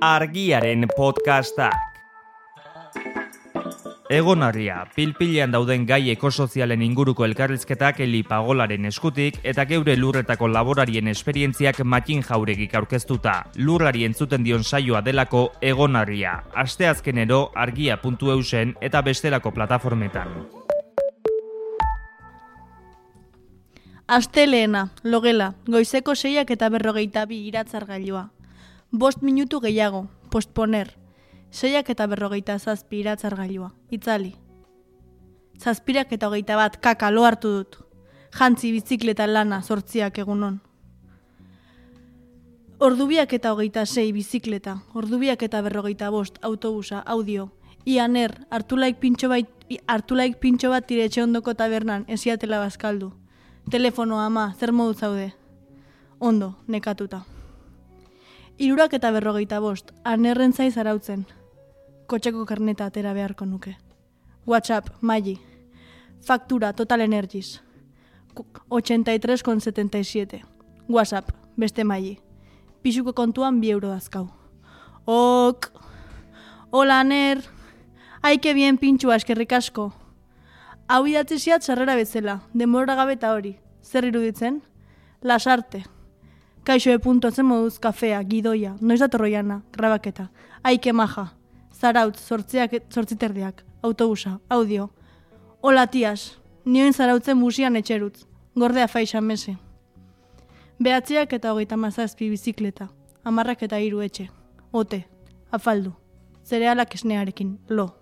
Argiaren podcastak. Egonarria, pilpilean dauden gai ekosozialen inguruko elkarrizketak Eli Pagolaren eskutik eta geure lurretako laborarien esperientziak Matin Jauregik aurkeztuta. Lurrari entzuten dion saioa delako Egonarria. Asteazkenero argia.eusen eta bestelako plataformetan. Astelehena, logela, goizeko 6:42 iratzargailua. 5 minutu gehiago, postponer. 6:47 iratzargailua, itzali. 7:21 kaka lo hartu dut. Jantzi bizikleta lana 8 egunon. 2:26 bizikleta, 2:45 autobusa, audio. Ianer, hartulaik pintxo bat tire etxe ondoko tabernan, esiatela bazkaldu. Telefono ama, zer modu zaude? Ondo, nekatuta. 3:45, anerren zaiz arautzen. Kotxeko karneta atera beharko nuke. WhatsApp, Maili. Faktura, Total Energies. 83,77. WhatsApp, beste Maili. Pisuko kontuan 2 euro dazkau. Ok. Hola, Aner. Ai, que bien pintxua, eskerrik asko. Hau idatziziat sarrera bezala, denbora gabe eta hori. Zer iruditzen? Lasarte. Kaixo zen moduz kafea, gidoia, noiz datorroiana, grabaketa. Aike maja. Zarautz, 8:terdiak, autobusa, audio. Hola tias, nioen zarautzen busian etxerutz. Gordea faixa mese. 9:37 bizikleta. 10:03 etxe. Ote, afaldu. Zerealak esnearekin, lo.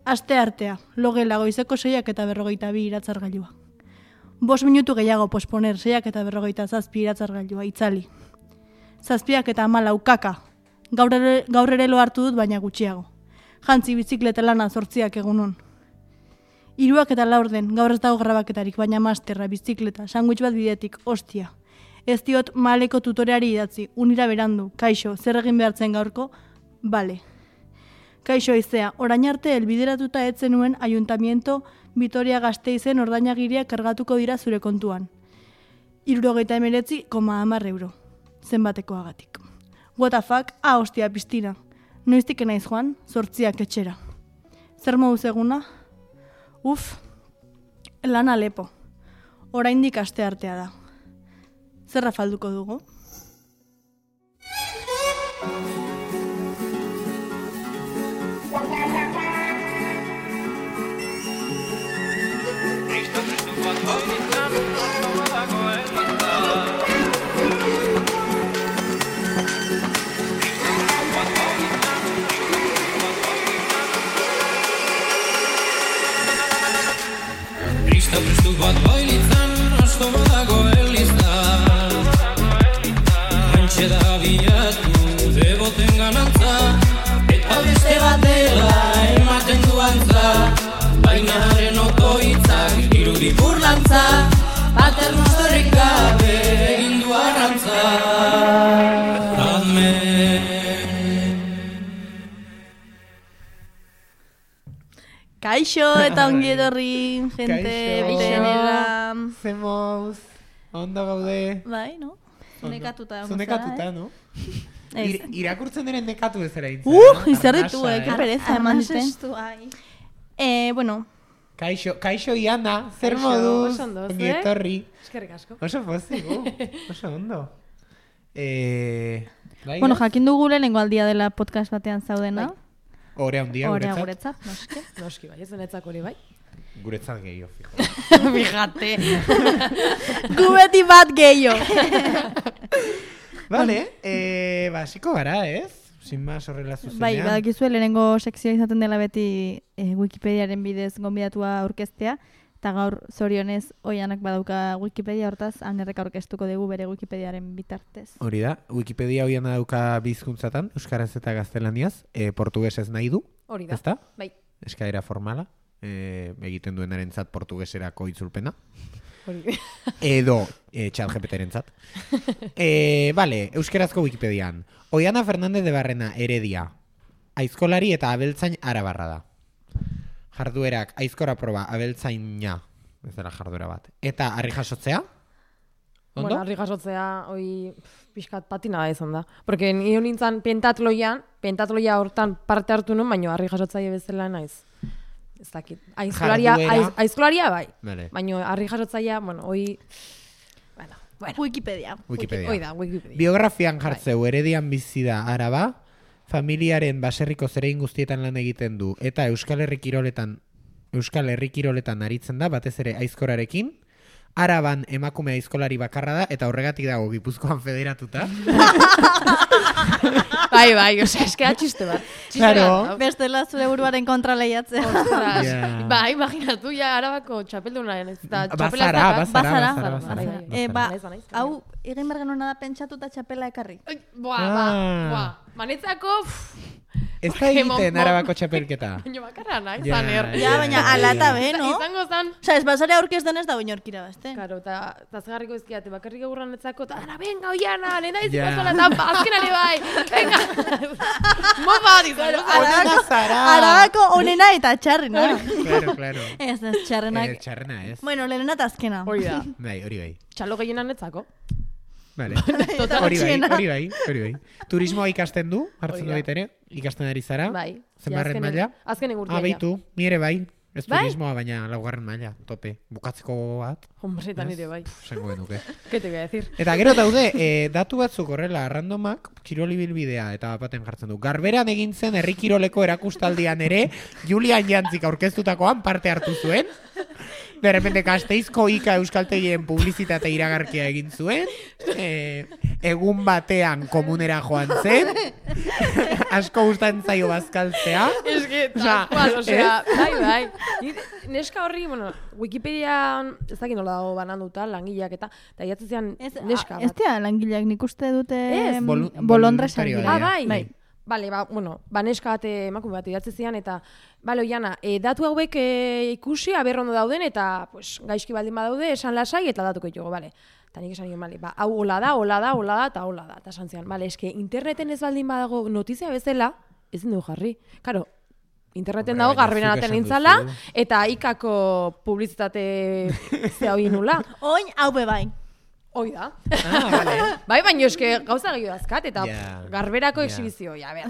Aste artea, logela goizeko 6:42 iratzargailua. 5 minutu gehiago posponer 6:47 iratzargailua, itzali. 7:14 kaka. Gaur ere lo hartu dut, baina gutxiago. Jantzi bizikleta lana 8 egunon. 3:04 gaur ez dago grabaketarik, baina masterra, bizikleta, sandwich bat bidetik, ostia. Ez diot maleko tutoreari idatzi, unira berandu, kaixo, zer egin behartzen gaurko, bale. Kaixo izea, orain arte helbideratuta ez zenuen Ayuntamiento Vitoria Gasteizen ordainagiria kargatuko dira zure kontuan. 79,10 euro. Zenbatekoagatik. What the fuck? Ostia, piztina. Noiztik naiz joan, 8 etxera. Zer moduz eguna? Lana lepo. Oraindik aste artea da. Zer afalduko dugu? Prestu bat bailitzan, asko badago elizan. Antxe da bilatu, deboten ganantza, eta beste bat dela ematen duantza. Bainaren otoitzak irudi burlantza, paternoztorrik gabe egin du arrantza. Kaixo eta ongi etorri, jente, betenera. Zemoz, ondo gaude. Bai, no? Nekatuta. Nekatuta, no? Irakurtzen diren nekatu ez ere hitz. Izar ditu, que pereza eman zuten. Bueno. Kaixo Iana, zer moduz, ongi etorri. Eskerrik asko. Oso pozik, oso ondo. Bueno, jakin dugu lehenengo aldia dela podcast batean zaudena. Orea handia guretzat. Noski bai, ez denetzak hori bai. Guretzat gehiago, fijo. Fijate. Gubeti bat gehiago. Vale, basiko gara, ez? Sin más horrela zuzenean. Bai, badakizue lehenengo sekzioa izaten dela beti Wikipediaren bidez gonbidatua aurkeztea, eta gaur zorionez Oianak badauka Wikipedia, hortaz Anerrek aurkeztuko dugu bere Wikipediaren bitartez. Hori da, Wikipedia Oiana dauka bizkuntzatan, euskaraz eta gaztelaniaz, portugesez nahi du. Hori da, ezta? bai. Eskaera formala, egiten duenarentzat portugeserako itzulpena. Hori. Edo ChatGPTrentzat. Vale, euskerazko Wikipedian. Oiana Fernández de Barrena, Heredia. Aizkolari eta abeltzain arabarra da. Jarduerak aizkora proba abeltzaina, ez dela jarduera bat. Eta harri jasotzea? Ondo? Bueno, harri jasotzea, hoi pixkat patina izan da. Porque nio nintzen pentatloia hortan parte hartu nun, baina harri jasotzaile bezala naiz. Ez dakit. Aizkolaria bai. Vale. Baina harri jasotzailea, bueno, hoi... Bueno, Wikipedia. hoi da, Wikipedia. Biografian jartzeu, Heredian bizi da Araba, familiaren baserriko zerein guztietan lan egiten du, eta Euskal Herri Kiroletan aritzen da, batez ere aizkorarekin. Araban emakume aizkolari bakarra da, eta horregatik dago Gipuzkoan federatuta. Bai, osea, eskea txiste bat. Claro. Bestela zure buruaren kontra lehiatzen. Ostras. Ja. Ba, imaginatu ja Arabako txapeldunaren ez da Bazara. Bazara. Hau, egin behar genuen da pentsatu eta txapela ekarri. Buah. Manetzako, Ez da egiten Arabako txapelketa. baina bakarra nahi, Ja. zaner. Ja, baina ala eta be, no? Izango zan. Osa, ez bazare aurkez denez da oinorkira bazte. Karo, eta zgarriko ezkiate, bakarrik egurran etzako, eta dara, venga, oiana, nena iziko zola, eta azkenare bai, venga. Mopa bat izan, Arabako onena eta txarrena. Claro. Ez txarrenak. Txarrena ez. Bueno, lehena eta azkena. hori da. Bai, hori bai. Txalo gehienan etzako. Vale. Total Hori txiena. bai. Turismoa ikasten du, hartzen du Hori da. baita ere, ikasten ari zara. Bai. Zenbarren Ja, maila? Azkenen urtea. Beitu, ni ere bai. Ez Bai? turismoa, baina laugarren maila, tope. Bukatzeko bat, Hombre, eta nire bai. esango genuke. ¿Qué te voy a decir? Eta gero daude, datu batzuk horrela, randomak, kiroli bilbidea eta baten jartzen du. Garberan egin zen herri kiroleko erakustaldian ere, Julian Jantzik aurkeztutakoan parte hartu zuen. De repente Gasteizko Ika Euskaltegien publizitate iragarkia egin zuen. Egun batean komunera joan zen. Asko gustatzen zaio bazkaltzea. Es que, Osea, tal cual, osea, bai. Neska horri, bueno, Wikipedian, ez dakit nola dago bananduta, langileak eta jatzen zian neska Ez bat. tia, langileak nik uste dute Ez. bolondresak Voluntarioa dira. Ah, bai. Bai. Bale, neska bat emakume bat idatzi zian eta bale, oiana, datu hauek ikusi aberrondo dauden eta pues, gaizki baldin badaude esan lasai eta datuko ditugu, bale. Eta nik esan nion, bale, hau hola da, eta hola da. Eta esan zian, bale, eske interneten ez baldin badago notizia bezala, ezin dugu jarri. Karo, interneten Hombre, dago baina garberan zuk aten esan nintzala, duzu. eta ikako publizitate zea hoi nula. Oin, hau be bai. Hoi da. Vale. Bai, baina eske gauza gehiago dazkat, eta Ja. garberako Ja. exhibizio, ja, ber.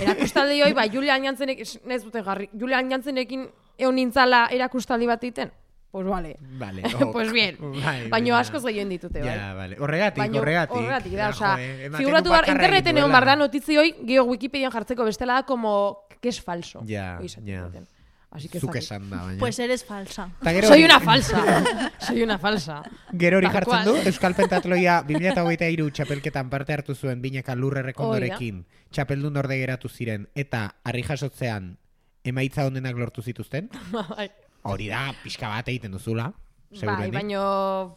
Erakustaldi hoi, Julian Jantzenek, ez dute garri, Julian Jantzenekin egon nintzala erakustaldi bat egiten. Pues vale. Vale. Pues bien. Bai, Baina baina- askoz gehien ditute, bai. Ja, vale. Horregatik. Horregatik, da, osea, ematen figuratu du behar, bakarra interneten egin egon duela. behar da notizioi, geho Wikipedian jartzeko bestela da, como, que es falso. Ja, Hoi esaten ja. duten. Así que Zuk zakit. esan da, baina. Pues eres falsa. Ta gero Soy hori- una falsa. Soy una falsa. Gero hori Tal jartzen cual. du, Euskal Pentatloia 2023 txapelketan parte hartu zuen binaka lurrerrekondorekin, txapeldun orde geratu ziren, eta harri jasotzean emaitza honenak lortu zituzten. Bai. Hori da, pixka bat egiten duzula. Bai, segurenik. baino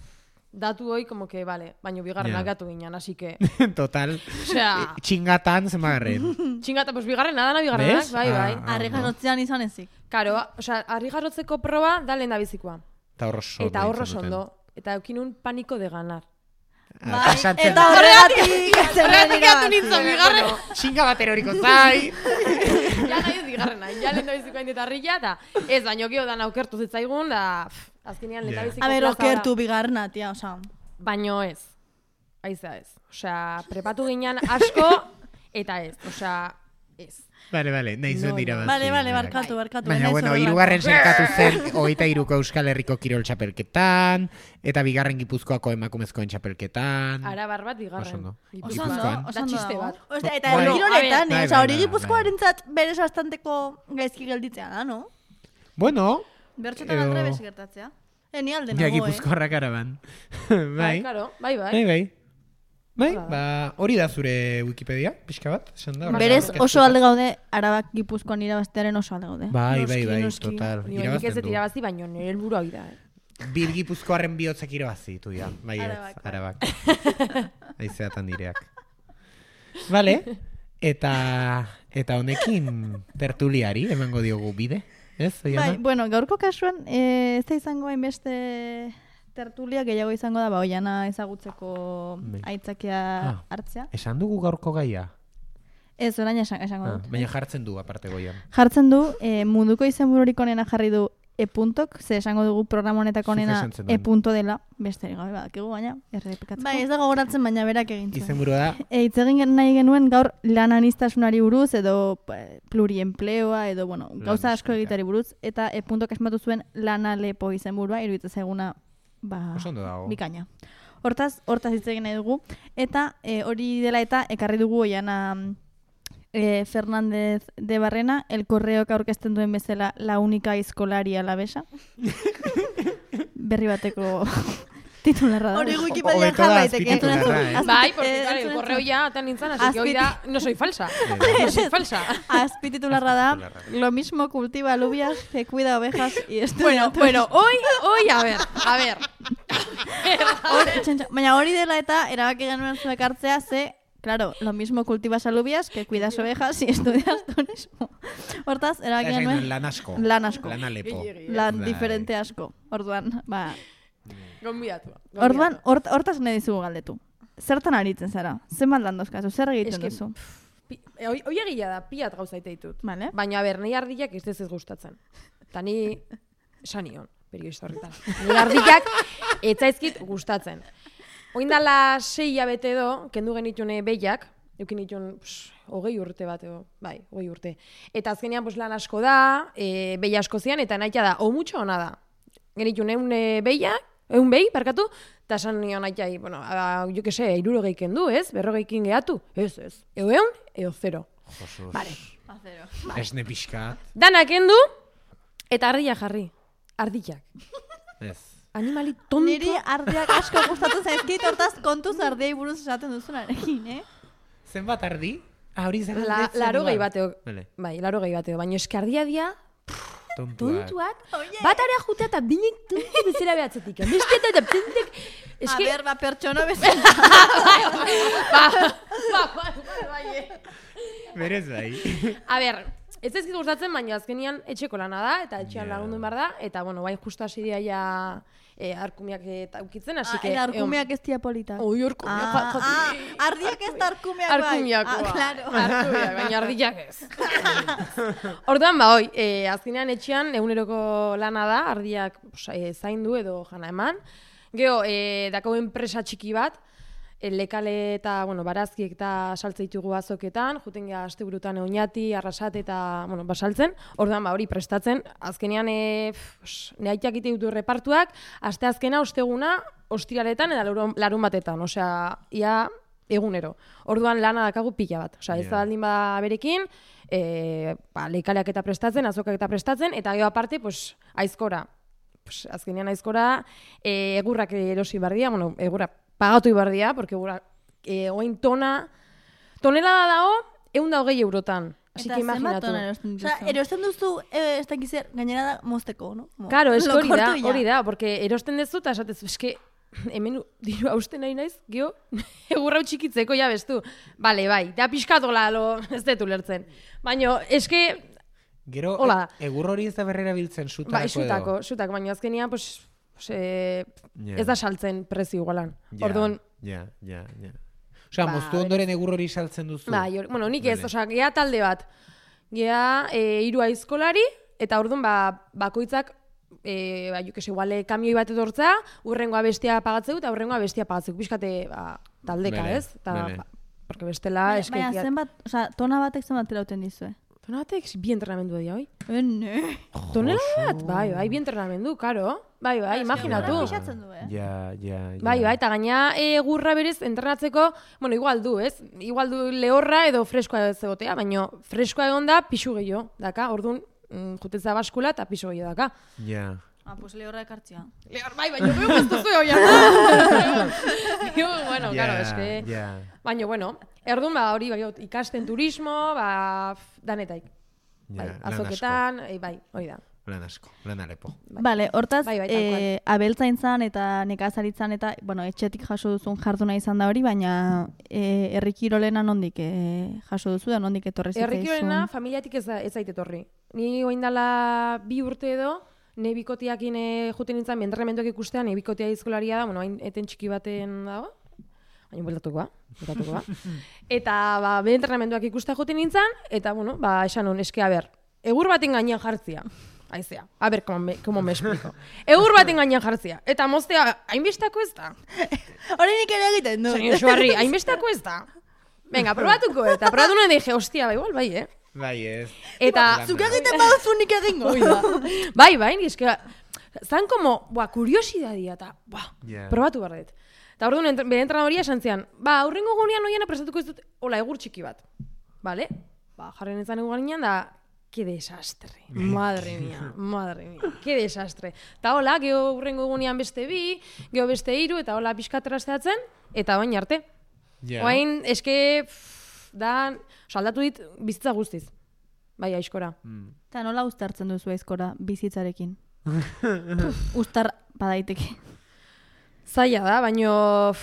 datu hoi, como que, vale, baino bigarrenak Ja. gatu ginen, así que, Total. osea, Txingatan zenbagarren. txingata, pues bigarrena, dana bigarrenak, ¿Ves? bai, bai. Ah, Harri jasotzean izan ezik. Karo, osea, harri jarotzeko proba da lehen da bizikoa. Eta horro sondo. Eta horro egin zenuten. sondo. Eta eukinun paniko de ganar. Ah, pasatzen- Eta horregatik Horregatik atu nintzen bigarren. Txinga bat eroriko zai. Ja nahi ez bigarrena, ja lehen da bizikoa indetarrilla, eta ez, baino geho dan aukertu zitzaigun, da, azkenean lehen da Ja. biziko A ber, plaza da. okertu bigarna, tia, osa. Baino ez. Aiza ez. Osea, prepatu ginen asko, eta ez. Osea, ez. Vale, nahi zuen No, dira no. bat. Vale, barkatu. Baina, ez bueno, horrelako. hirugarren sailkatu zen 23ko Euskal Herriko Kirol txapelketan, eta bigarren Gipuzkoako emakumezkoen txapelketan. Arabar bat bigarren. Oso ondo. Oso ondo, Gipuzkoan. oso Da ondo txiste dago. bat. Osea, eta Bai. kiroletan, Bai, osa, hori bai, Gipuzkoarentzat berez bastanteko gaizki gelditzea da, no? Bueno, Bertxotan Edo- aldrebes gertatzea. Ni alde ja nago, Gipuzkoarrak araban. Bai, Bai, claro, bai. bai, Hola da. ba, hori da zure Wikipedia, pixka bat, esan da. Berez horrela oso aurkeztuta. alde gaude, Arabak Gipuzkoan irabaztearen oso alde gaude. Bai, Noski, noski. total. Nik ez Irabazten dut du. irabazi, baino nire helburua hori da. Bir Gipuzkoarren bihotzak irabazi, tu ja. Bai, ez, Arabak, bai. arabak. Aizeatan direak. Vale, eta honekin tertuliari emango diogu bide, ez? Oiana? Bai, bueno, gaurko kasuan, ez da izango hainbeste tertulia gehiago izango da, ba, Oiana ezagutzeko Bai. aitzakia hartzea. Esan dugu gaurko gaia? Ez, orain esango dut. Baina jartzen du aparte goian. Jartzen du, munduko izenbururik onena jarri du e-puntok, ze esango dugu programa honetako Zuk onena esan zenuen. e-punto dela, besterik gabe badakigu baina, errepikatzeko. Bai, ez dago goratzen, baina berak egin zuen. Izenburua da, Hitz egin nahi genuen gaur lan aniztasunari buruz edo pluriempleoa edo bueno, gauza asko eskura. egitari buruz eta e-puntok esmatu zuen lana lepo izenburua, iruditzen zaiguna oso ondo dago. bikaina. Hortaz hitz egin nahi dugu eta hori dela eta ekarri dugu Oiana Fernández de Barrena, el correok aurkezten duen bezala la única escolaria alavesa. Berri bateko titularra da. Hori Wikipedian Hobeto da jar daiteke. azpititularra, Bai, porque claro, correo ya atan nintzen, así que hoy da, no soy falsa. No soy falsa. Azpititularra da, lo mismo cultiva alubias que cuida ovejas y estudia. Bueno, hoy, a ver. Baina hori dela eta erabaki genuen zuek hartzea ze, claro, lo mismo cultivas alubias que cuidas ovejas y estudias turismo. Hortaz, erabaki genuen Lan asko. lan asko. Lan alepo. Lan Bai. diferente asko. Orduan, Gonbidatu. orduan hortaz nahi dizugu galdetu. Zertan aritzen zara? Zenbat lan dozkazu? Zer egiten Eske, duzu? Hoi egia da, pilat gauza ite ditut. Vale. Baina, nahi ardiak ez gustatzen. Eta ni sanion, periodista horretan. Nahi ardiak ez zaizkit gustatzen. Oindala 6 hilabete edo, kendu genitune behiak, eukin ditun 20 urte bat edo, bai, 20 urte. Eta azkenean lan asko da, behi asko zian, eta nahi da, o mucho ona da. Genitun eun behi, parkatu, eta esan nion nahi, bueno, jo que se, 60 kendu, ez? 40 gehatu, ez. Eun, eo 0. Josus. Vale. Esne pixkat. Danak kendu, eta ardia jarri. Ardiak. Ez. Animali tonto. Niri ardiak asko gustatu zaizkit, hortaz kontuz ardiai buruz esaten duzunarekin, Zenbat ardi? Hori zen Laro gehi bateo. Vale. Bai, laro gehi bateo. Baina eski ardia dia, Tontuak. bat area jutea eta binek tontu bezera behatzetik. Beste eta pintek... Eski... A ber, pertsona bezala. Bai. Berez bai. A ber, ez ezkit gustatzen, baina azkenian etxeko lana da, eta etxean lagundu behar da, eta bueno, bai justu hasi dira ja arkumiak ukitzen, hasi que... Eta arkumiak ez tia politak. Oi, arkumiak. Ardiak ez da arkumiak bai. Arkumiakoa. Claro. Arkumiak, baina ardiak ez. Orduan, hoi, azkenean etxean eguneroko lana da, ardiak zaindu edo jana eman. Gero, dako enpresa txiki bat, lekale eta, bueno, barazkiek eta saltze ditugu azoketan, juten geha asteburutan oinati, arrasate eta, bueno, basaltzen. Orduan, hori prestatzen, azkenean nehaitiak ite ditu repartuak, aste azkena, osteguna, ostiraletan eta larun batetan, osea, ia egunero. Orduan lana dakagu pila bat. Osea, ez da baldin bada berekin, lekaleak eta prestatzen, azokak eta prestatzen, eta gero aparte, aizkora. Azkenean aizkora, egurrak erosi bardia, bueno, egurra pagatu ibardia, porque egurra, oin tonela da dago, 120 eurotan. Así que imaginatu. Osea, erosten duzu, ez dakizer, gainera da mozteko, no? Claro, es hori da, porque erosten dezu, eta esatezu, eske, hemen diru hausten nahi naiz, geho, egurra txikitzeko, ja bestu. Bale, bai, da pixkatola, ez detu lertzen. Baina, eske... Gero, egur hori ez da berrera biltzen sutarako edo? Bai, sutako, baina azkenean, ez da saltzen prezio igualan. Orduan... Ja. Osea, moztu ondoren egur hori saltzen duzu? Bai, bueno, nik ez, osea, geha talde bat. Geha 3 aizkolari, eta orduan, bakoitzak, igual, kamioi bat edortza, urrengoa bestia pagatzeu, eta urrengoa bestia pagatzeu. Pixkate, taldeka, ez? Porque bestela... Baina, zenbat, osea, tona batek zenbat terauten dizue? Tona batek, bi entrenamendu edia, hoi? Ne. Tonela bat? Bai, bi entrenamendu, karo. Bai, imaginatu. Ja. Bai, eta gaina egurra berez entrenatzeko, bueno, igual du, ez? Igual du lehorra edo freskoa ez egotea, baina freskoa egon da pixu gehiago, daka, orduan, jutetza baskula eta pixu gehiago daka. Ja. Pues lehorra ekartzia. Lehor, bai, baina beo ez duzu hoia. Bueno, claro, eske... Baina, bueno, erdun, hori, ikasten turismo, danetaik. Bai, azoketan, bai, hori da. Lan asko, lan alepo. Bale, hortaz, abeltzaintzan eta nekazaritzan eta, bueno, etxetik jaso duzun jarduna izan da hori, baina herrikirolena nondik jaso duzu da, nondik etorri zitzaizun? Herrikirolena familiatik ez zait etorri. Ni oindala 2 urte edo, ne bikotiakin juten nintzen, entrenamenduak ikustean, ne bikotia izkolaria da, bueno, hain eten txiki baten dago, baina bueltatuko ba. Eta, be entrenamenduak ikustea juten nintzen, eta, bueno, esan hon, eske, egur baten gainean jartzia. Aizea, a ber, como me explico. Egur baten gainean jartzea, eta moztea, hainbestako ez da. Hori nik ere egiten du. Señor Suarri, hainbestako ez da. Venga, probatuko, eta probatu nuen dije, hostia, igual, bai, Bai, ez. Eta, Zuk egiten baduzu nik egingo. bai, eske, zan como, kuriosidadia, eta, Yeah. probatu barret. Eta orduan, bere entrenadoria esan zian, aurrengo gunean oiana prestatuko ez dut, hola, egur txiki bat. Vale? Jarren ezan egur ginean da, qué desastre. Madre mía, qué desastre. Eta hola, geho urrengo gunean beste bi, geho beste 3, eta hola pixka trasteatzen, eta bain arte. Yeah. Oain, eske, aldatu dit bizitza guztiz. Bai, aizkora. Eta nola uztartzen duzu aizkora bizitzarekin? Uztar badaiteke. Zaila da, baino,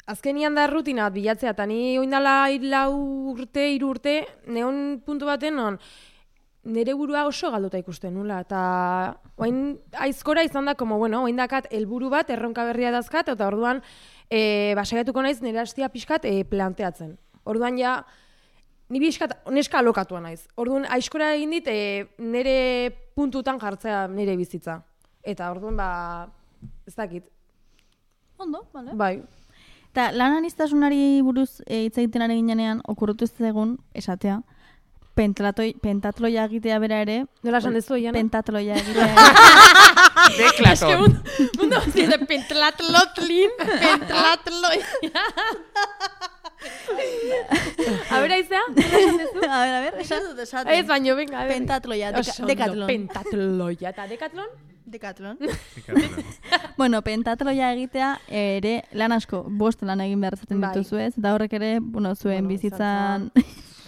azkenian da rutina bat bilatzea, eta ni oindala 3 urte, neon puntu baten non, nire burua oso galduta ikusten nula, eta oain aizkora izan da, como, bueno, oain dakat helburu bat, erronka berria dazkat, eta orduan, basaiatuko naiz nire hastia pixkat planteatzen. Orduan ja, ni pixkat neska alokatua naiz. Orduan, aizkora egin dit, nire puntutan jartzea nire bizitza. Eta orduan, ez dakit. Ondo, bale. Bai. Eta lan aniztasunari buruz hitz egiten ari ginean, okurrutu zegoen esatea, pentatloia egitea bera ere. Nola esan dezu, Iana? Pentatloia egitea. Deklaton. Mundo zize, pentatlotlin, A ber, aizea? Nola esan dezu? A ver, esan dut esaten. Ez baino, venga, a ver. Pentatloia, Oso Decathlon. ondo, pentatloia. Eta Decathlon? Decathlon. Bueno, pentatloia egitea ere lan asko, 5 lan egin behar zaten Bai. dituzu ez, eta horrek ere, zuen bizitzan...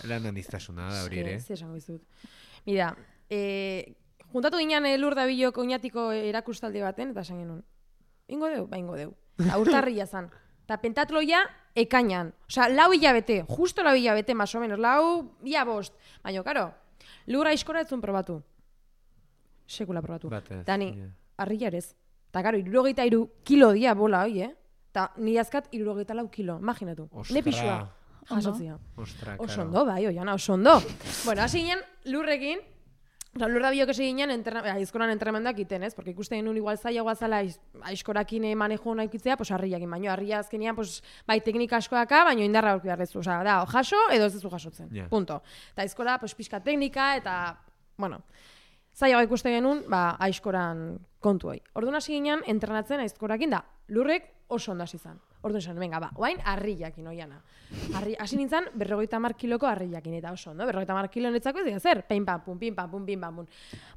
Lan aniztasuna da hori ere. Ez esango izut. Mira, juntatu ginen Lur Dabilok oinatiko erakustaldi baten, eta esan genuen. Ingo deu? Ba, ingo deu. Eta urtarria zan. Eta pentatloia ekainan. Osea, 4 hilabete, justo 4 hilabete, más o menos, 4 ia 5. Baina, karo, Lur aizkora ez zuen probatu. Sekula probatu. Batez, Dani, yeah. harria ez. Eta, karo, 63 kilo dia bola, hoi, Eta nire azkat 64 kilo, imaginatu. Ne pixua. Jasotzia. Ostra, Oso karo. ondo, bai, oiana, oso ondo. Bueno, hasi ginen Lurrekin, Lur Dabilok hasi ginen aizkoran entremendak iten, ez? Porque ikusten genuen igual zailagoa zala aizkorakin manejo hona ikitzea, pues harriakin, baino harria azkenian, pues, bai, teknika asko daka, baino indarra aurki beharrezu. Osea, da, o jaso edo ez duzu jasotzen. Yeah. Punto. Eta aizkora, pues, pixka teknika, eta, bueno, zailagoa ikusten genuen, aizkoran kontu hoi. Orduan hasi ginen entrenatzen aizkorakin da, Lurrek oso ondo hasi zan. Orduan esan, venga, oain harriakin, oiana. Hasi nintzen 50 kiloko harriakin, eta oso ondo, 50 kilo netzako ez dira zer, pim pam pum, pim pam pum, pim pam pum.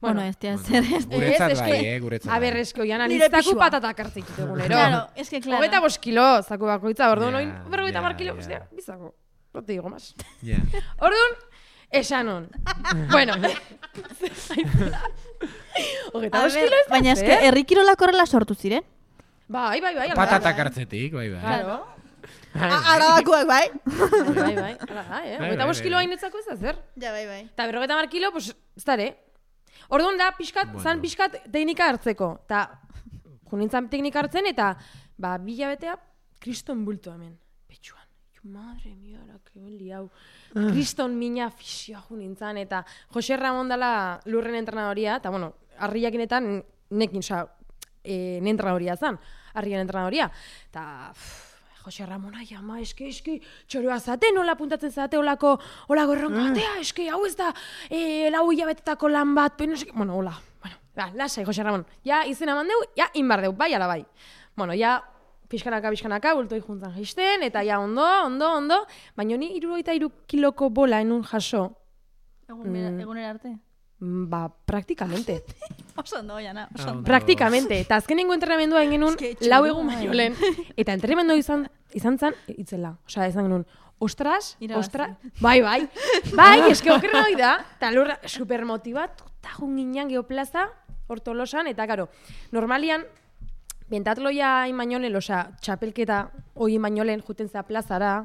Bueno, ez dira zer ez. Guretzat bai, guretzat A ber, bai. eske, oiana, Nire niztaku pixua. patatak hartzik egunero. Claro, es que claro. 25 kilo, zaku bakoitza, orduan, Ja, oin, 50 ja, kilo, ja. ostia, bizako. No te digo más. Yeah. Orduan, esan hon. Bueno. A ver, baina eske, herrikirolak horrela sortu ziren. Bai. Patatak hartzetik, bai. Claro. Arabakuak, bai. Bai. Hala da, Bai, 25 kilo bai. hainetzako ez da zer. Ja, bai. Eta 50 kilo, pues, ez dare. Orduan da, zan pixkat teknika hartzeko. Eta, junintzan teknika hartzen, eta, 2 hilabetea, kriston bulto hemen. Petxuan. Madre mia, kebeli hau. Kriston mina fisioa junintzan, eta Jose Ramon dela Lurren entrenadoria, eta, bueno, harriakinetan nekin, oza, entrenadoria zan, harrien entrenadoria. Eta, Jose Ramon, ai, ama, eske, txoroa zate, nola puntatzen zate, olako erronka batea, eske, hau ez da, 4 hilabetetako lan bat, pero, bueno, hola, lasai, Jose Ramon, ja, izena mandeu, ja, inbar deu, bai, ala bai. Bueno, ja, pixkanaka, bultoi juntzan jaisten, eta ja, ondo, baina ni 63 kiloko bola enun jaso. Egunera arte. Praktikamente. Oso ondo, Jana, oso ondo. Praktikamente. Eta azkenengo entrenamendua egin genuen, Eske, 4 egun baino lehen. Eta entrenamendua izan zan, itzela. Osea, izan genuen, ostras, bai, eske okerra hoi da. Eta Lurra, supermotibat, eta junginan geoplaza, hortolosan, eta karo, normalian, pentatloia imainolen, osea, txapelketa hoi imainolen juten zea plazara,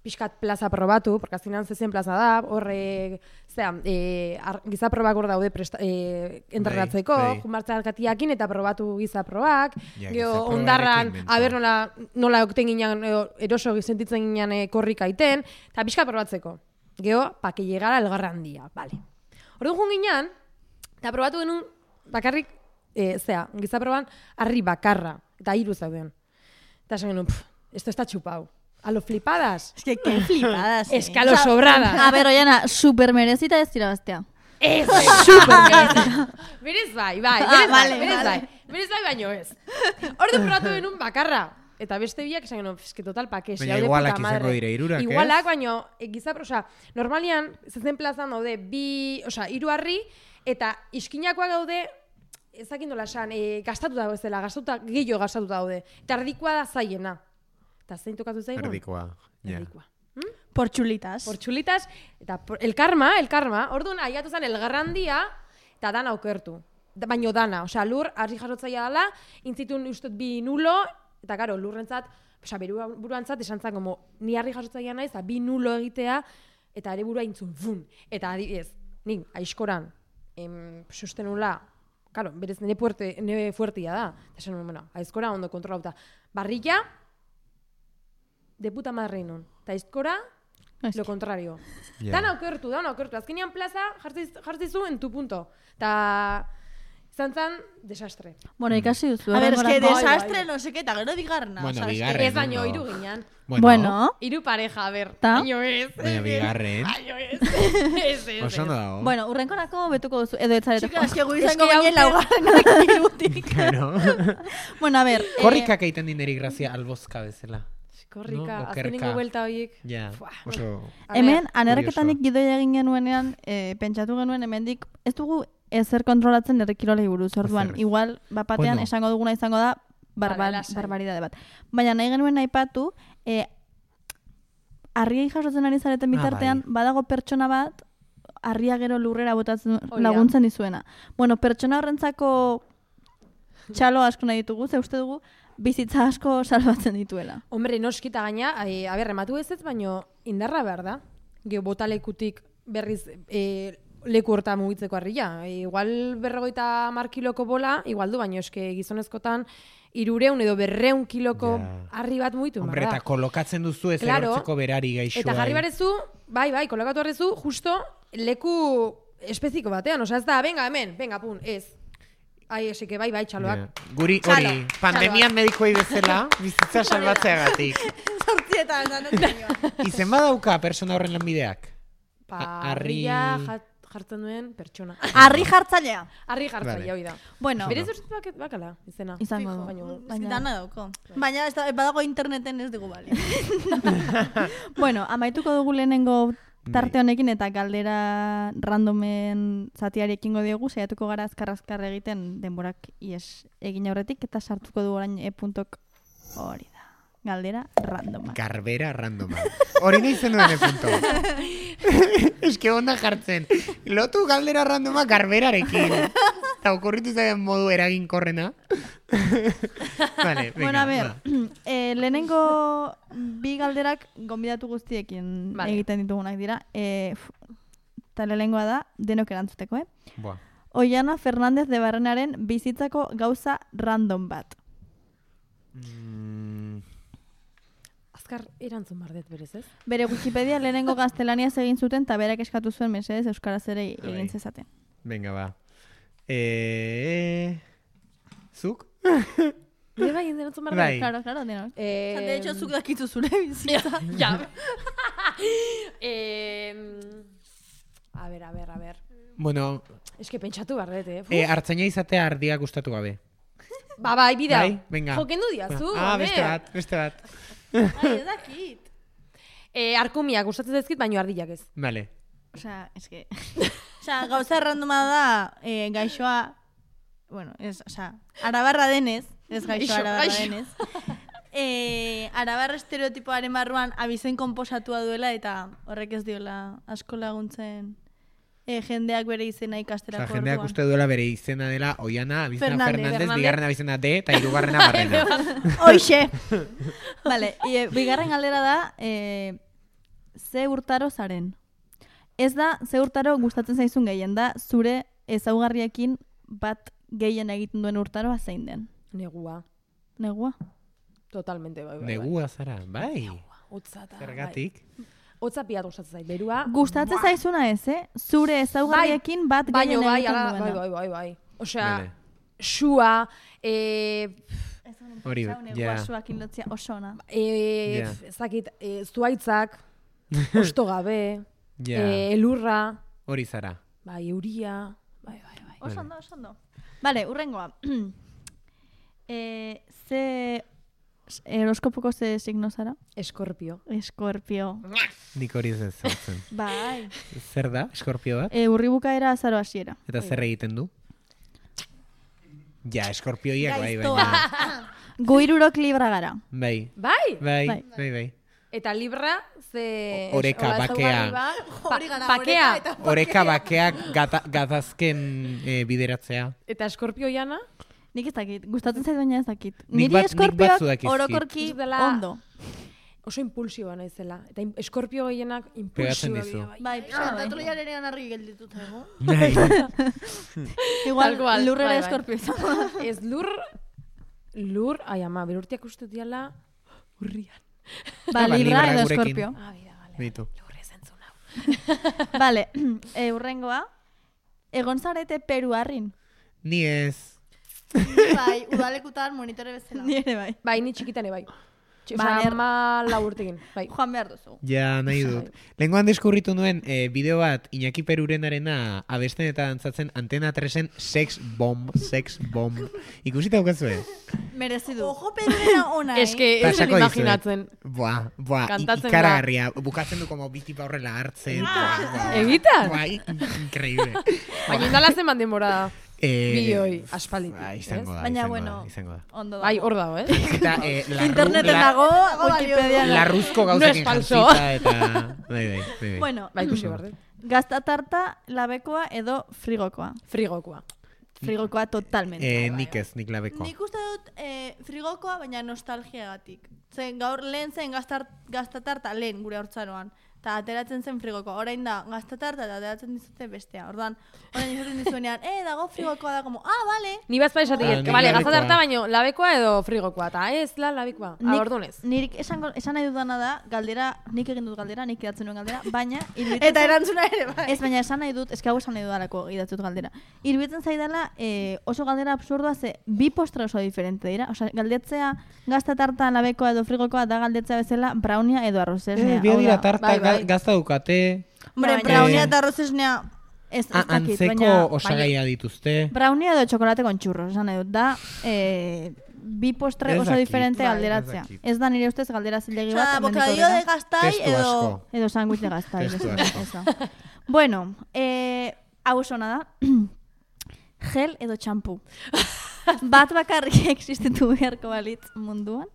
pixkat plaza probatu, porque azkenean zezen plaza da, horre, gizaprobak hor daude entrenatzeko, jumartza alkatiakin eta probatu gizaprobak, geho ondarran, aber nola okten ginen, eroso sentitzen ginen korrika iten, eta pixkat probatzeko. Geho, pa que llegara el garrandia, vale. Orduan joan ginean, eta probatu genuen bakarrik, gizaproban harri bakarra, eta 3 zauden. Eta esan genuen, esto está chupau. A lo flipadas. Es que qué flipadas. Es que a lo sobradas. A ver, Oiana, super merezita ez irabaztea. Ez, super berez bai, berez bai baino ez. Ordu probatu genuen bakarra. Eta beste biak esan genuen, eske total pakes. Baina igualak izango dire 3, Igualak, baino, normalian, zezen plazan daude, 3 harri, eta iskinakoak daude, ezakindola esan, gastatuta bezala, gehiago gastatuta daude. Eta erdikoa da zaiena. Eta zein tokatu zaigun? Erdikoa. Por chulitas. Por chulitas, eta el karma, orduan aiatu zen elgarrandia, eta dana okertu. Baino dana, lur, harri jasotzaia dela, intzitun ustut 2 nulo, eta karo, lurrentzat, buruantzat esan zen, ni harri jasotzaia naiz, 2 nulo egitea, eta ere burua intzun, fun. Eta adibidez, nik, aizkoran, susten nula, karo, berez nire fuertia da. Eta esan, bueno, aizkora ondo kontrolauta. Barrilla, de puta madre non. Eta aizkora, lo contrario. Dana okertu. Azkenean plaza jartzizu en tu punto. Eta izan desastre. Bueno, ikasi duzu. A ver, es que desastre, no sé qué, eta gero bigarna. Bueno, bigarren. Ez baino, 3 ginean. Bueno. 3 pareja, a ver. Ta? Baino ez. Baina bigarren. Baino ez. Oso ondo dago. Bueno, urrenkorako betuko duzu, edo etzarete. Chica, es que gu izango ginen laugarrenak irutik. Claro. Bueno, a ver. Korrikak egiten dineri grazia albozka bezala. Korrika, No, azkenengo buelta horiek. Ja, oso... Hemen, anerketanik gidoia egin genuenean, pentsatu genuen hemendik, ez dugu ezer kontrolatzen errekirolei buruz, orduan, Ezer. igual, bapatean Bueno. esango duguna izango da, lasai. barbaridade bat. Baina nahi genuen aipatu, harriei jasotzen ari zareten bitartean, badago pertsona bat, harria gero lurrera botatzen laguntzen dizuena. Bueno, pertsona horrentzako txalo asko nahi ditugu, ze uste dugu, bizitza asko salbatzen dituela. Hombre, noskita gaina, rematu ez, baino indarra behar da. Geo botalekutik berriz leku horta mugitzeko harria. Igual 50 kiloko bola, igual du, baino eske gizonezkotan 300 edo 200 kiloko harri bat mugitu. Hombre, eta kolokatzen duzu ez erortzeko berari gaixoa. Eta jarri barezu, bai, kolokatu barrezu, justo leku espeziko batean. Osa ez da, venga, hemen, pun, ez. Esike, bai, txaloak. Guri, hori, pandemian medikoei bezala, bizitza salbatzeagatik. Zortzietan, Izen badauka persona horren lanbideak? Harria jartzen duen pertsona. Harri jartzailea. Harri jartzailea, hori da. Bueno, Berez uste bakala, izena. izango Baino, Dana dauko. Baina badago interneten ez dugu bale. Bueno, amaituko dugu lehenengo tarte honekin eta galdera randomen zatiari ekingo diogu, saiatuko gara azkar egiten denborak ies egin aurretik eta sartuko du orain e-puntok hori da. Galdera randoma. Garbera randoma. Hori nahi zen duen punto. Eske onda jartzen. Lotu galdera randoma garberarekin. Eta okurritu zaien modu eraginkorrena. Vale, venga, Bueno, a ver, lehenengo 2 galderak gonbidatu guztiekin egiten ditugunak dira. Eta lehenengoa da, denok erantzuteko, Boa. Oiana Fernández de Barrenaren bizitzako gauza random bat. azkar erantzun bardet berez, ez? Bere Wikipedia lehenengo gaztelaniaz egin zuten eta berak eskatu zuen mesedez euskaraz ere egin zezaten. Venga, ba. Zuk? Nire bai, erantzun bardet? Bai. Claro, denok. De hecho, zuk dakizu zure bizitza. Ja. A ver. Bueno, Eske pentsatu bardet, hartzaina izatea ardia gustatu gabe. Bai, bida. Bai, venga. Jokendu diazu, Beste bat. Ai, ez dakit. Arkumiak gustatzen zaizkit, baino ardilak ez. Vale. Osea, eske... Osea, gauza randoma da, gaixoa, bueno, arabarra denez, ez gaixoa arabarra denez. Arabarra estereotipoaren barruan abizen konposatua duela eta horrek ez diola asko laguntzen jendeak bere izena ikasterako orduan. Jendeak uste duela bere izena dela Oiana Abizena Fernández, bigarren abizena D eta hirugarrena Barrena. Hoxe! Vale, bigarren galdera da, ze urtaro zaren? Ez da, ze urtaro gustatzen zaizun gehien da, zure ezaugarriekin bat gehien egiten duen urtaroa zein den? Negua. Negua? Totalmente, bai. Negua zara, bai. Utzata. Zergatik? hotza piat gustatzen zait, berua. Gustatzen zaizuna ez, Zure ezaugarriekin bat gehien egiten duena. Bai. Osea, Bale. xua, Hori, ja. Guasuakin lotzia oso ona. ezakit, zuaitzak, osto gabe, Ja. elurra, Hori zara. bai, euria, bai. Oso ondo. Vale, urrengoa. Ze horoskopoko ze signo zara? Eskorpio. Eskorpio. Nik hori ez zautzen. Bai. Zer da, eskorpio bat? Urri bukaera azaro hasiera. Eta zer egiten du? Ja, eskorpioiak bai, baina. Gu hirurok libra gara. Bai. Bai? Bai. Eta libra, ze... Oreka, hola, bakea. ezaugarri bat, Hori gara, bakea. oreka eta Oreka bakeak gatazken bideratzea. Eta eskorpio jana? Nik ez dakit, gustatzen zait baina ez dakit. Nik Niri batzu eskorpioak dakizkit. orokorki Nik dela- ondo. Oso impulsiboa naizela. Eta eskorpio gehienak Pegatzen impulsiboa dizu. dira, bai. Bai, Santatu lehiarenean argi geldituta, ego? Bai. Igual, Tal cual, lurrera bai. eskorpio izan. Ez lur, ai ama, berurtiak uste diala urrian. Ba, Ba, libra libra edo gurekin. eskorpio. Bale. Beitu. Lurre zentzun hau. Vale, urrengoa. Egon zarete Peruarrin. Ni ez. Bai, udalekutan monitore bezala. Ni ere bai. Bai, ni txikitane bai. Ba, Osa, ama urtekin, bai. Joan behar duzu. Ja, nahi dut. Lehengoan deskurritu nuen bideo bat Iñaki Perurenarena abesten eta dantzatzen Antena 3en Sex Bomb. Ikusita daukazue? Merezi du. Ojo pedrena ona, Ez que ez Pasako dizuet. imaginatzen. Buah, Kantatzen ikaragarria. Bukatzen du como bitipa horrela hartzen. Buah. Egitan? Bai, increíble. Baina indala zen demora Eh, bideoi aspalditik. Ba, izango da, Baina, izango bueno, da, izango da. ondo da. Bai, hor dago, Eta Interneten dago, Wikipedian. larruzko No gauzekin es falso. jantzita eta... Bai. Bueno, Bai, ikusi behar dut. gaztatarta, labekoa edo frigokoa. Frigokoa. Frigokoa totalmente. Nik ez, nik labekoa. Nik uste dut frigokoa, baina nostalgiagatik. Zen gaur lehen zen gaztatarta lehen gure hortzaroan. Eta ateratzen zen frigokoa. Orain da, gaztatarta eta ateratzen dizute bestea. Ordan, orain izaten dizuenean, dago frigokoa da, como, vale. Ni bazpa esatik, Ah, nik bale, labekoa. gazatarta baino, labekoa edo frigokoa, eta ez, labekoa. Ordunez. Nirik esan nahi dudana da, galdera, nik egin dut galdera, nik idatzen nuen galdera, baina... Eta erantzuna ere, bai. Ez, baina esan nahi dut, hau esan nahi dudalako idatzen dut galdera. Iruditzen zaidala oso galdera absurdua ze bi postre oso diferente dira. Osea, galdetzea gaztatarta, labekoa edo frigokoa da galdetzea bezala brownia edo arrozesnea. Bi dira tarta bai. gazta dukate, Hombre, Baina- brownia eta arrozesnea Ez dakit, antzeko baina... osagaia dituzte. Brownia edo txokolate con churros, esan nahi dut, da bi postre Ez oso dakit, diferente bai, galderatzea. ez dakit. Ez da nire ustez galdera zilegi Osea, bat. hemendik bocadillo de aurrera. gaztai Testu edo... asko. Edo sándwich de gaztai. Testu asko. Bueno, hau oso ona da. Gel edo txampu. Bat bakarrik existitu beharko balitz munduan.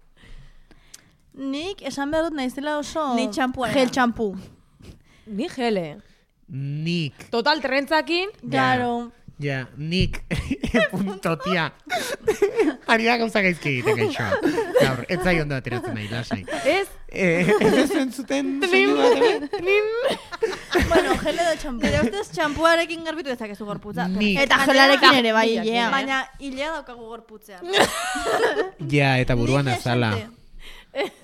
Nik esan behar dut naizela oso... Ni txampuarena. Gel txampu. Ni gele. Nik, Total, terrentzakin, Claro. ja, nik, punto, tia. Ari da gauza gaizki egiten gaixoa. Gaur, ez zai ondo ateratzen nahi, lasai. ez, Ez zuten soinu bat hemen? Bueno, gel edo txampu. Nire ustez txampuarekin garbitu dezakezu gorputza. Nik. Eta gelarekin ere, bai, Baina- ilea. Baina hilea daukagu gorputzean. Ja, eta buruan Nik azala. esante.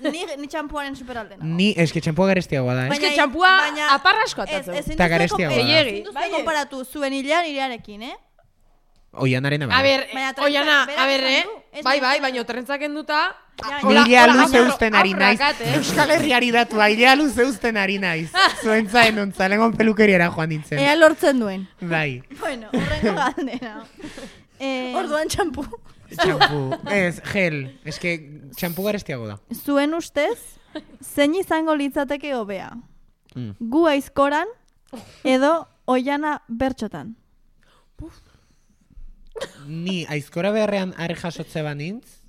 Ni txampuaren superaldena. Ni, eske txampua garestiagoa da, Eske txampua aparra asko Ez, atatzen. ezin Eta duzue garestiagoa da. Gehiegi. ezin duzue Bai, konparatu zuen hilea nirearekin, Oianarena A bai. ber, Baina terrentza- oiana, berak a ber, esan du, ez bai, nahi baina terrentzak enduta... Ni hilea luze usten ari naiz. Aurrakat, Euskal Herriari datua, hilea luze usten ari naiz. Zuentzaen ontza, lengon pelukeriara joan nintzen. Ea lortzen duen. Bai, Bueno, horrengo galdera. Orduan txampu. txampu. Ez, gel. Eske, txampu garestiago da. Zuen ustez, zein izango litzateke hobea? Mm. Gu aizkoran edo oiana bertxotan? Ni aizkora beharrean arre jasotze banintz,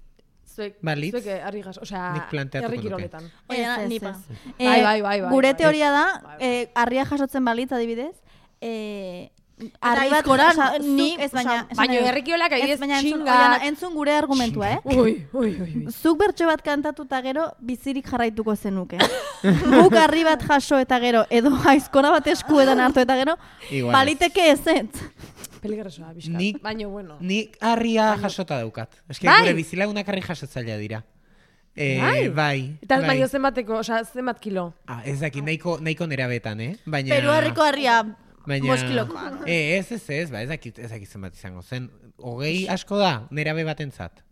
Zuek, Balitz. zuek herri gas, osea, Nik planteatuko herri nuke. kiroletan. Oiana, Ez, nipa. Bai. Gure bai. teoria da, Bai. harria jasotzen balitz adibidez, harri bat, aizkoran, osea, ni, zuk- ez baina, osea, esan Baina nahi dut. herri kirolak Ez, adibidez baina entzun, txingak. Oiana, entzun gure argumentua, Ui. Zuk bertso bat kantatuta gero bizirik jarraituko zenuke. Guk harri bat jaso eta gero, edo aizkora bat eskuetan hartu eta gero, Igual ez. baliteke ezetz. Peligrosoa, bizkat. Nik- Baina, bueno. Ni harria jasota daukat. Eske Bai. gure bizilagunak harri jasotzailea dira. Bai. Eta baino zenbateko, zenbat kilo? Ez dakit, nahiko nerabetan, Baina... Peruarriko harria Baina... 5 kilokoa. Ez dakit zenbat izango zen. 20 asko da, nerabe batentzat.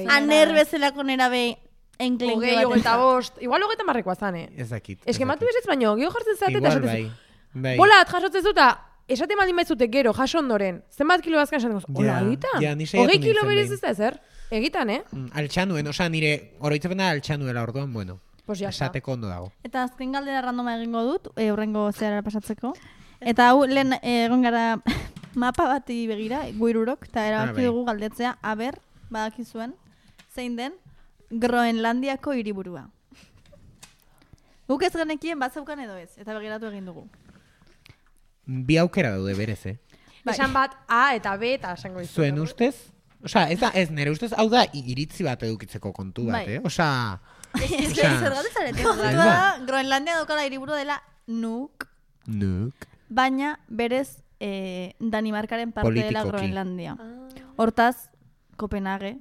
Aner bezalako nerabe enklenke batentzat. Igual 30 zan, Ez dakit. Ez que matu ez baino, geho jartzen zaten eta Igual esatzen bai. Bolat, jasotzen zuta, esaten baldin baitzute gero, jaso ondoren, zenbat kilo bazkan esaten gozu, hola, egitan? 20 kilo berez ez da ezer? Egitan, Altxanuen, nire oroitzepena altxanuela orduan, bueno. Pues ya está. Esateko ondo dago. Eta azken galdera randoma egingo dut, hurrengo zeharara pasatzeko. Eta hau, lehen egon gara mapa bati begira, guirurok, eta erabaki dugu galdetzea, aber, badakizuen, zein den, Groenlandiako hiriburua. Guk ez genekien bazeukan edo ez, eta begiratu egin dugu. Bi aukera daude berez, Esan bat A eta B eta esango dizu. Zuen ustez? Ez nire ustez, hau da iritzi bat edukitzeko kontu bat, Zergatik zarete, Groenlandia daukala hiriburua dela Nuuk. Baina berez Danimarkaren parte dela Groenlandia. Hortaz, Kopenhague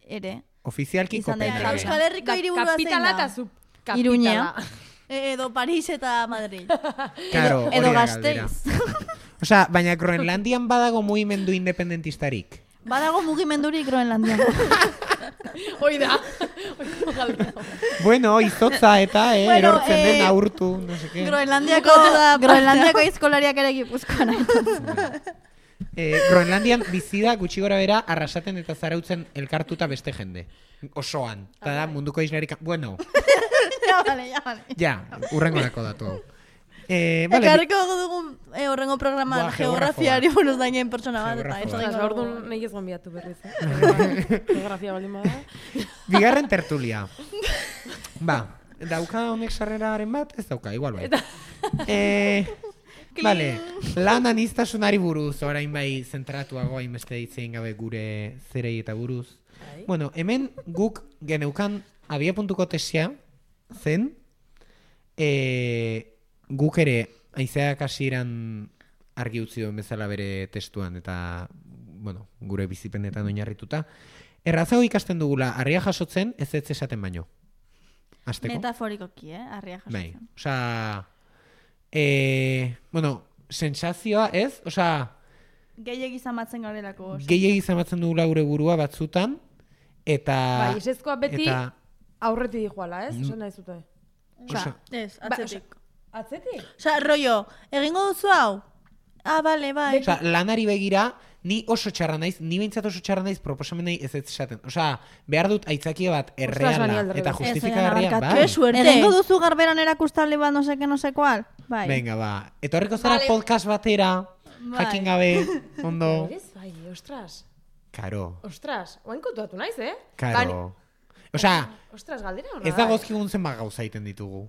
ere. Ofizialki Kopenhague. Euskal Herriko hiriburua zein da? Kapitala eta subkapitala. Iruña. Edo Paris eta Madrid. Claro, edo Gasteiz. Baina Groenlandian badago mugimendu independentistarik. Badago mugimendurik Groenlandian. Hoi da. Bueno, izotza eta erortzen den aurtu, no sé qué. Groenlandiako aizkolariak ere Gipuzkoan. Groenlandian bizida gutxi gora bera arrasaten eta zarautzen elkartuta beste jende. Osoan. Eta da munduko islarik... Bueno. Ja, urrengo dako datu hau. Ekarriko dugun horrengo programan geografiari buruz dainen pertsona bat. Eta orduan nahi ez gombiatu berriz. Geografia baldin bada. Bigarren tertulia. Dauka honek sarreraren bat? Ez dauka, igual bai. Vale, lan aniztasunari buruz, orain bai zentratuago hainbeste hitzein gabe gure zerei eta buruz. Bueno, hemen guk geneukan abia.ko tesia zen, guk ere aizeak hasieran argi utzi duen bezala bere testuan eta bueno, gure bizipenetan oinarrituta. Errazago ikasten dugula harria jasotzen ez esaten baino. Azteko? Metaforikoki, harria jasotzen. Bai, osea... bueno, sensazioa ez, gehiegi zamatzen garelako. Gehiegi zamatzen dugula gure burua batzutan, eta... Bai, esezkoa beti aurreti dijoala, ez? Esan nahi zute. Ez, atzetik. Atzetik? Rollo, egingo duzu hau? Bale, bai. Lanari begira, ni oso txarra naiz, ni behintzat oso txarra naiz proposamenei ez esaten. Behar dut aitzakia bat erreala eta justifikagarria. Ke suerte. Egingo duzu garberan erakustable bat no sé cual? Bai. Venga, ba. Etorriko zara podcast batera, jakin gabe, ondo. Bai, ostras. Karo. Ostras, oain kontuatu naiz, Karo. Ostras, galdera hona. Ez da gozkigun zenbat gauza egiten ditugu.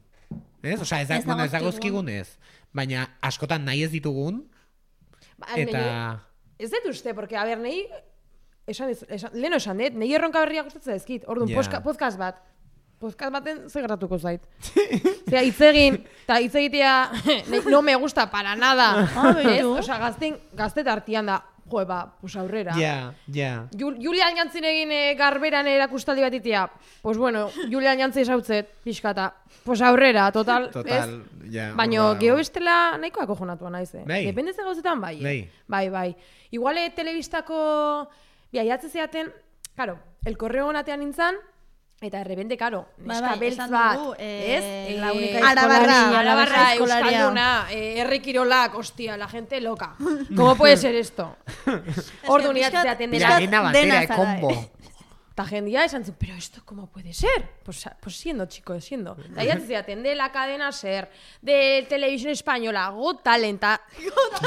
Ez? Ez da gozkigun ez. Baina askotan nahi ez ditugun. Eta... Ez dut uste, porque, a ber, nahi... Leno esan dut, nahi erronka berriak gustatzen dezkit. Orduan, podcast bat. Podcast baten ze gertatuko zait. Zera, hitzegin, eta hitzegitea no me gusta para nada. Osa, gaztet artian da, pues aurrera. Ja. Julian Jantzin egin garberan erakustaldi bat itia. Pues bueno, Julian Jantzin esautzet, pixkata. Pues aurrera, total, ja. Baina, geho bestela nahikoa kojonatua naiz, Bai. Dependez gauzetan, bai. Bai. Iguale, telebistako, biaiatze zeaten, claro, el correo natean nintzen, eta errebende, karo, neska beltz bat, ez? Arabarra, euskalduna, herrikirolak, hostia, la gente loca. ¿Cómo puede ser esto? Ordu niratze zeaten dena combo. Ta jendia esan zu, pero esto ¿cómo puede ser? Pues siendo, chico, siendo. Ta iratze zeaten de la cadena SER, de Televisión Española, Got Talent.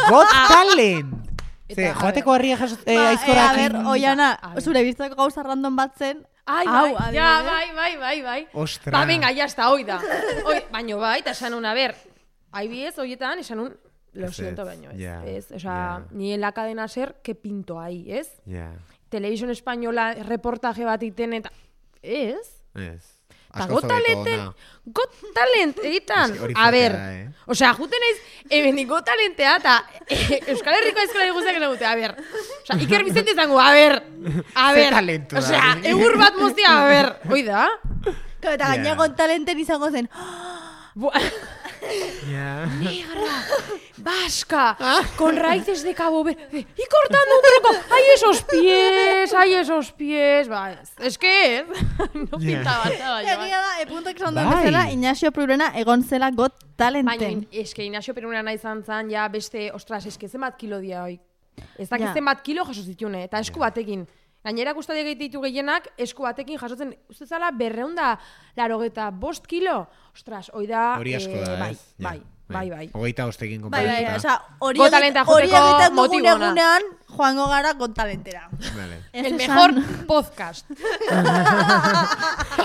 Got Talent! Joateko harria aizkorak. A ver, Oiana, zure biztako gauza random bat zen. Bai. Ostra. Ba, venga, ya está, hoi da. Baina bai, eta esan un, a ver, IBS hoietan, esan un, lo siento, baino, ez. Osa, ni en la cadena SER, que pinto ahí, ez? Televisión Española, reportaje bat iten, eta... Ez? Eta Askoz hobeto ona. Got Talent egitan. Hori A ber, fuertea, osea, juten naiz, hemen Got Talentea, eta Euskal Herriko eskolari guztiak egute, a ber. Osea, Iker Vicente izango, a ber. Ze talentu da. Osea, egur bat moztia, a ber. Hoi da? Eta gaineko talenten izango zen. Ja. Negra, vasca, con raíces de Cabo Verde, y cortando un troco. ¡Ay, esos pies! ¡Ay, esos pies! Ba, es que no pintaba nada. Egia da, puntok esan duen Bai. bezala, Ignacio Prurena egon zela Got Baina, Talenten. eske Ignacio Perunera izan zan, ja beste, ostras, eske zenbat kilo dia hoi. Ez dakit Ja. zenbat kilo jaso zitune, eta esku batekin. Gainera guztatik ditu gehienak, esku batekin jasotzen, uste zala 285 kilo. Ostras, hoi da... Hori asko da, bai, ez? Ja, bai. Hogeita ostekin Bai, konparatuta. osea, hori Got Talenta hori joteko egiten dugun motibo ona. egunean, joango gara Got Talentera. Vale. Ez El esan- mejor podcast.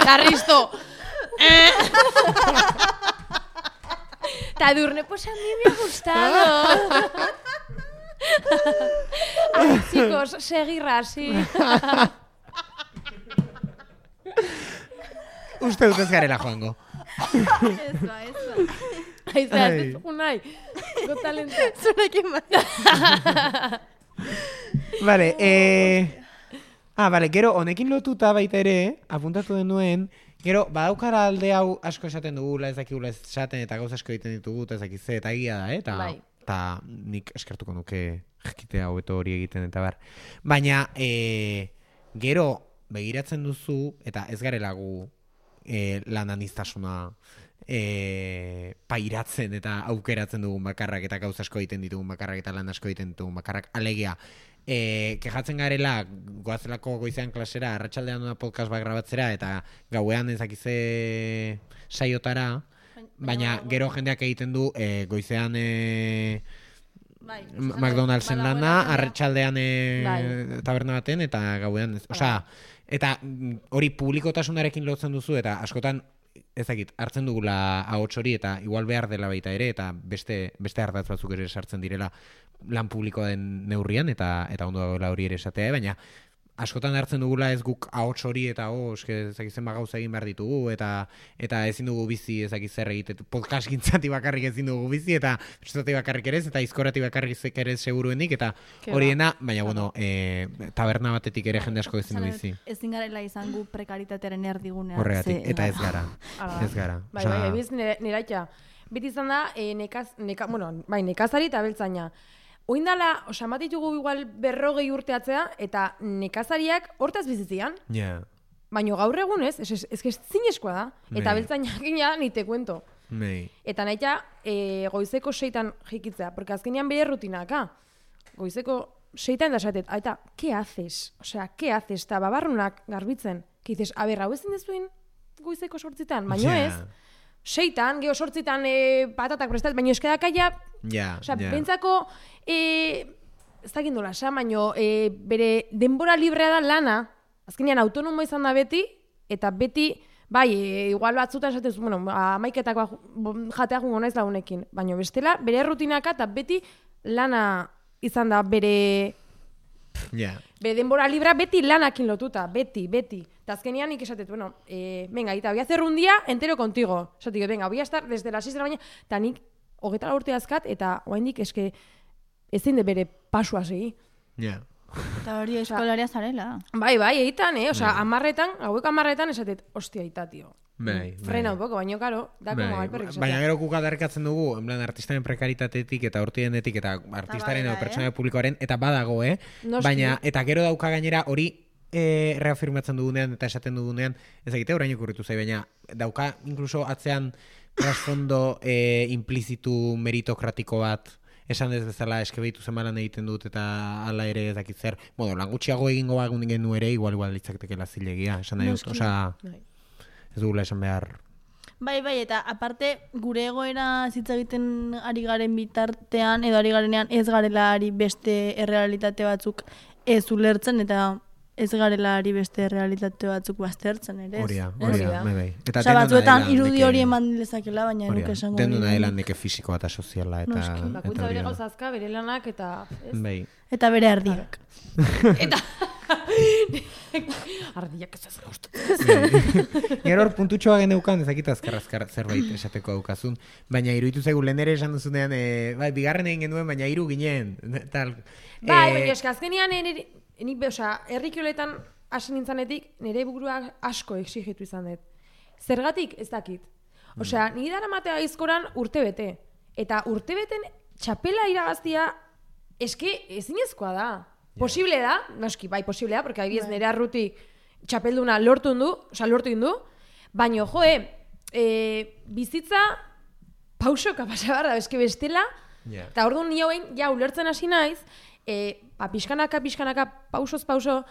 Carristo. Tadurne, pues a mí me ha gustado. Ay, chicos, seguir así. Uste dut ez garela joango. Ez da. Ay, zera, Ai. ez dugu nahi. Got Talenta. Zurekin bai. Vale, vale, gero, honekin lotuta baita ere, apuntatu denuen, gero, badaukara alde hau asko esaten dugula, ez dakigula esaten, eta gauza asko egiten ditugu, eta ez dakize, eta egia da, eta Bai. eta nik eskertuko nuke jakitea hobeto hori egiten, eta bar. Baina, gero, begiratzen duzu, eta ez garela gu lan aniztasuna pairatzen eta aukeratzen dugun bakarrak, eta gauza asko egiten ditugun bakarrak, eta lan asko egiten ditugun bakarrak, alegia, kejatzen garela goazelako goizean klasera, arratsaldean una podcast bat grabatzera, eta gauean ezakize saiotara, baina gero jendeak egiten du goizean Bai. McDonald'sen lana, arratsaldean Bai. taberna baten, eta gauean, osea, eta hori publikotasunarekin lotzen duzu, eta askotan ezakit, hartzen dugula ahots hori, eta igual behar dela baita ere, eta beste ardatz batzuk ere sartzen direla lan publikoa den neurrian, eta ondo dagoela hori ere esatea, baina askotan hartzen dugula ez guk ahots hori, eta eske ezakitzen gauza egin behar ditugu, eta ezin dugu bizi ezakit zer egite, podcast gintzati bakarrik ezin dugu bizi, eta estati bakarrik ere ez, eta izkorati bakarrik ere seguruenik, eta hori dena, baina bueno, taberna batetik ere jende asko ezin du bizi. Ezin garela izan gu prekaritatearen erdigunean. Horregatik, eta ez gara. Hala. Ez gara. Bai, ebiz neraitxa. Beti izan da, nekazari eta beltzaina. Oindala, bat ditugu igual 40 urteatzea, eta nekazariak hortaz bizitzian. Ja. Baina gaur egun ez zinezkoa da. Eta Bai. beltzainak gina, ni te kuento. Nei. Eta nahita, goizeko 6 jikitzea, porque azkenean bere rutinaka. Goizeko 6 da esatet, eta, ¿qué haces? Osea, ¿qué haces? Eta babarrunak garbitzen. Que dices, a ber, hau ezin dezuin goizeko 8 baino Ja. ez. 6 geho 8 patatak prestat, baina eskadakaia, Ja, osea, ja. bentsako, ez dakit nola, baina bere denbora librea da lana, azkenean autonomo izan da beti, eta beti, bai, igual batzutan esatez, bueno, amaiketako jatea jungo naiz lagunekin, baina bestela, bere rutinaka eta beti lana izan da bere denbora libra beti lanakin lotuta, beti. Eta azkenean nik esatet, bueno, venga, eta voy a hacer un día entero contigo. Esatik, venga, voy a estar desde las 6 de la mañana, eta nik 24 urte azkat, eta oaindik eske ezin de bere pasua segi. Ja. Eta hori eskolaria zarela. Bai, eitan, osea, 10 esatet, hostia, aita, tio. Bai, Frena un poco, baina, karo, da como alperrik esatea. Baina gero guk aldarrikatzen dugu, en plan, artistaren prekaritatetik eta hortiendetik eta artistaren edo pertsona publikoaren, eta badago, Noski. Baina, eta gero dauka gainera hori reafirmatzen dugunean eta esaten dugunean, ezagite orain okurritu zai, baina dauka inkluso atzean trasfondo implizitu meritokratiko bat, esan ez bezala eskebeitu zemalan egiten dut eta hala ere ez dakit zer, lan gutxiago egingo bagun genu ere, igual litzaketekela zilegia, esan nahi dut, osea, ez dugula esan behar. Bai, eta aparte gure egoera hitz egiten ari garen bitartean edo ari garenean ez garela ari beste errealitate batzuk ez ulertzen eta ez garela ari beste errealitate batzuk baztertzen ere. Hori da, da. bai. Eta Osea, batzuetan irudi hori eman dezakela, baina nuke esango. Denduna dela neke fisikoa eta soziala eta Noski. Bakoitza bere gauzazka, bere lanak, eta... Bai. Eta bere erdiak. Eta Ardiak ez gaustu. Gero hor puntutxoa geneukan, ezakit azkar zerbait esateko daukazun, baina iruditu zaigu lehen ere esan duzunean, bai, bigarren egin genuen, baina 3 ginen, tal. Bai, baina eska, azkenean, herrikioletan hasi nintzanetik, nire buruak asko exigitu izan dut. Zergatik ez dakit. Osea, nire dara matea aizkoran urtebete. Eta urtebeten txapela irabaztia eske ezinezkoa da. Posible da, noski, bai, posible da, porque adibidez nire arruti txapelduna lortu indu, baina, bizitza pausoka pasa behar da, eske bestela, eta orduan ni hauen, ja, ulertzen hasi naiz, pixkanaka, pauso,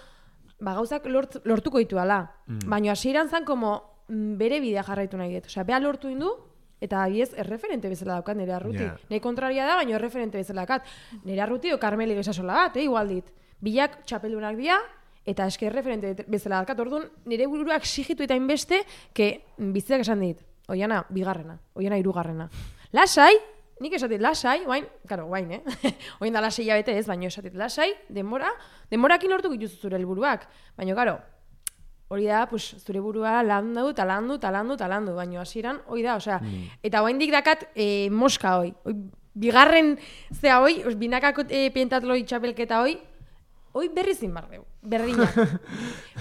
gauzak lortuko ditu ala. Baina hasieran zan, como bere bidea jarraitu nahi dut. Osea, beha lortu indu, eta abiez, erreferente bezala daukat nire arruti. Nei kontraria da, baina erreferente bezala daukat. Nire arruti o Karmeli bezasola bat, igual dit. Bilak txapeldunak dira, eta eske erreferente bezala daukat. Orduan, nire buruak exigitu eta inbeste, que bizitzak esan dit. Oiana, 2. Oiana, 3. Lasai, nik esatit lasai, guain, Oin da lasai jabete ez, baina esatit lasai, demorakin lortu gituzu zure helburuak. Baina, karo, hori da, pues, zure burua landu, baina hasieran hori da, osea, eta oaindik dakat moska hoi. Bigarren zea hoi, binakako pentatloi txapelketa hoi berri zin bardeu, berdinak.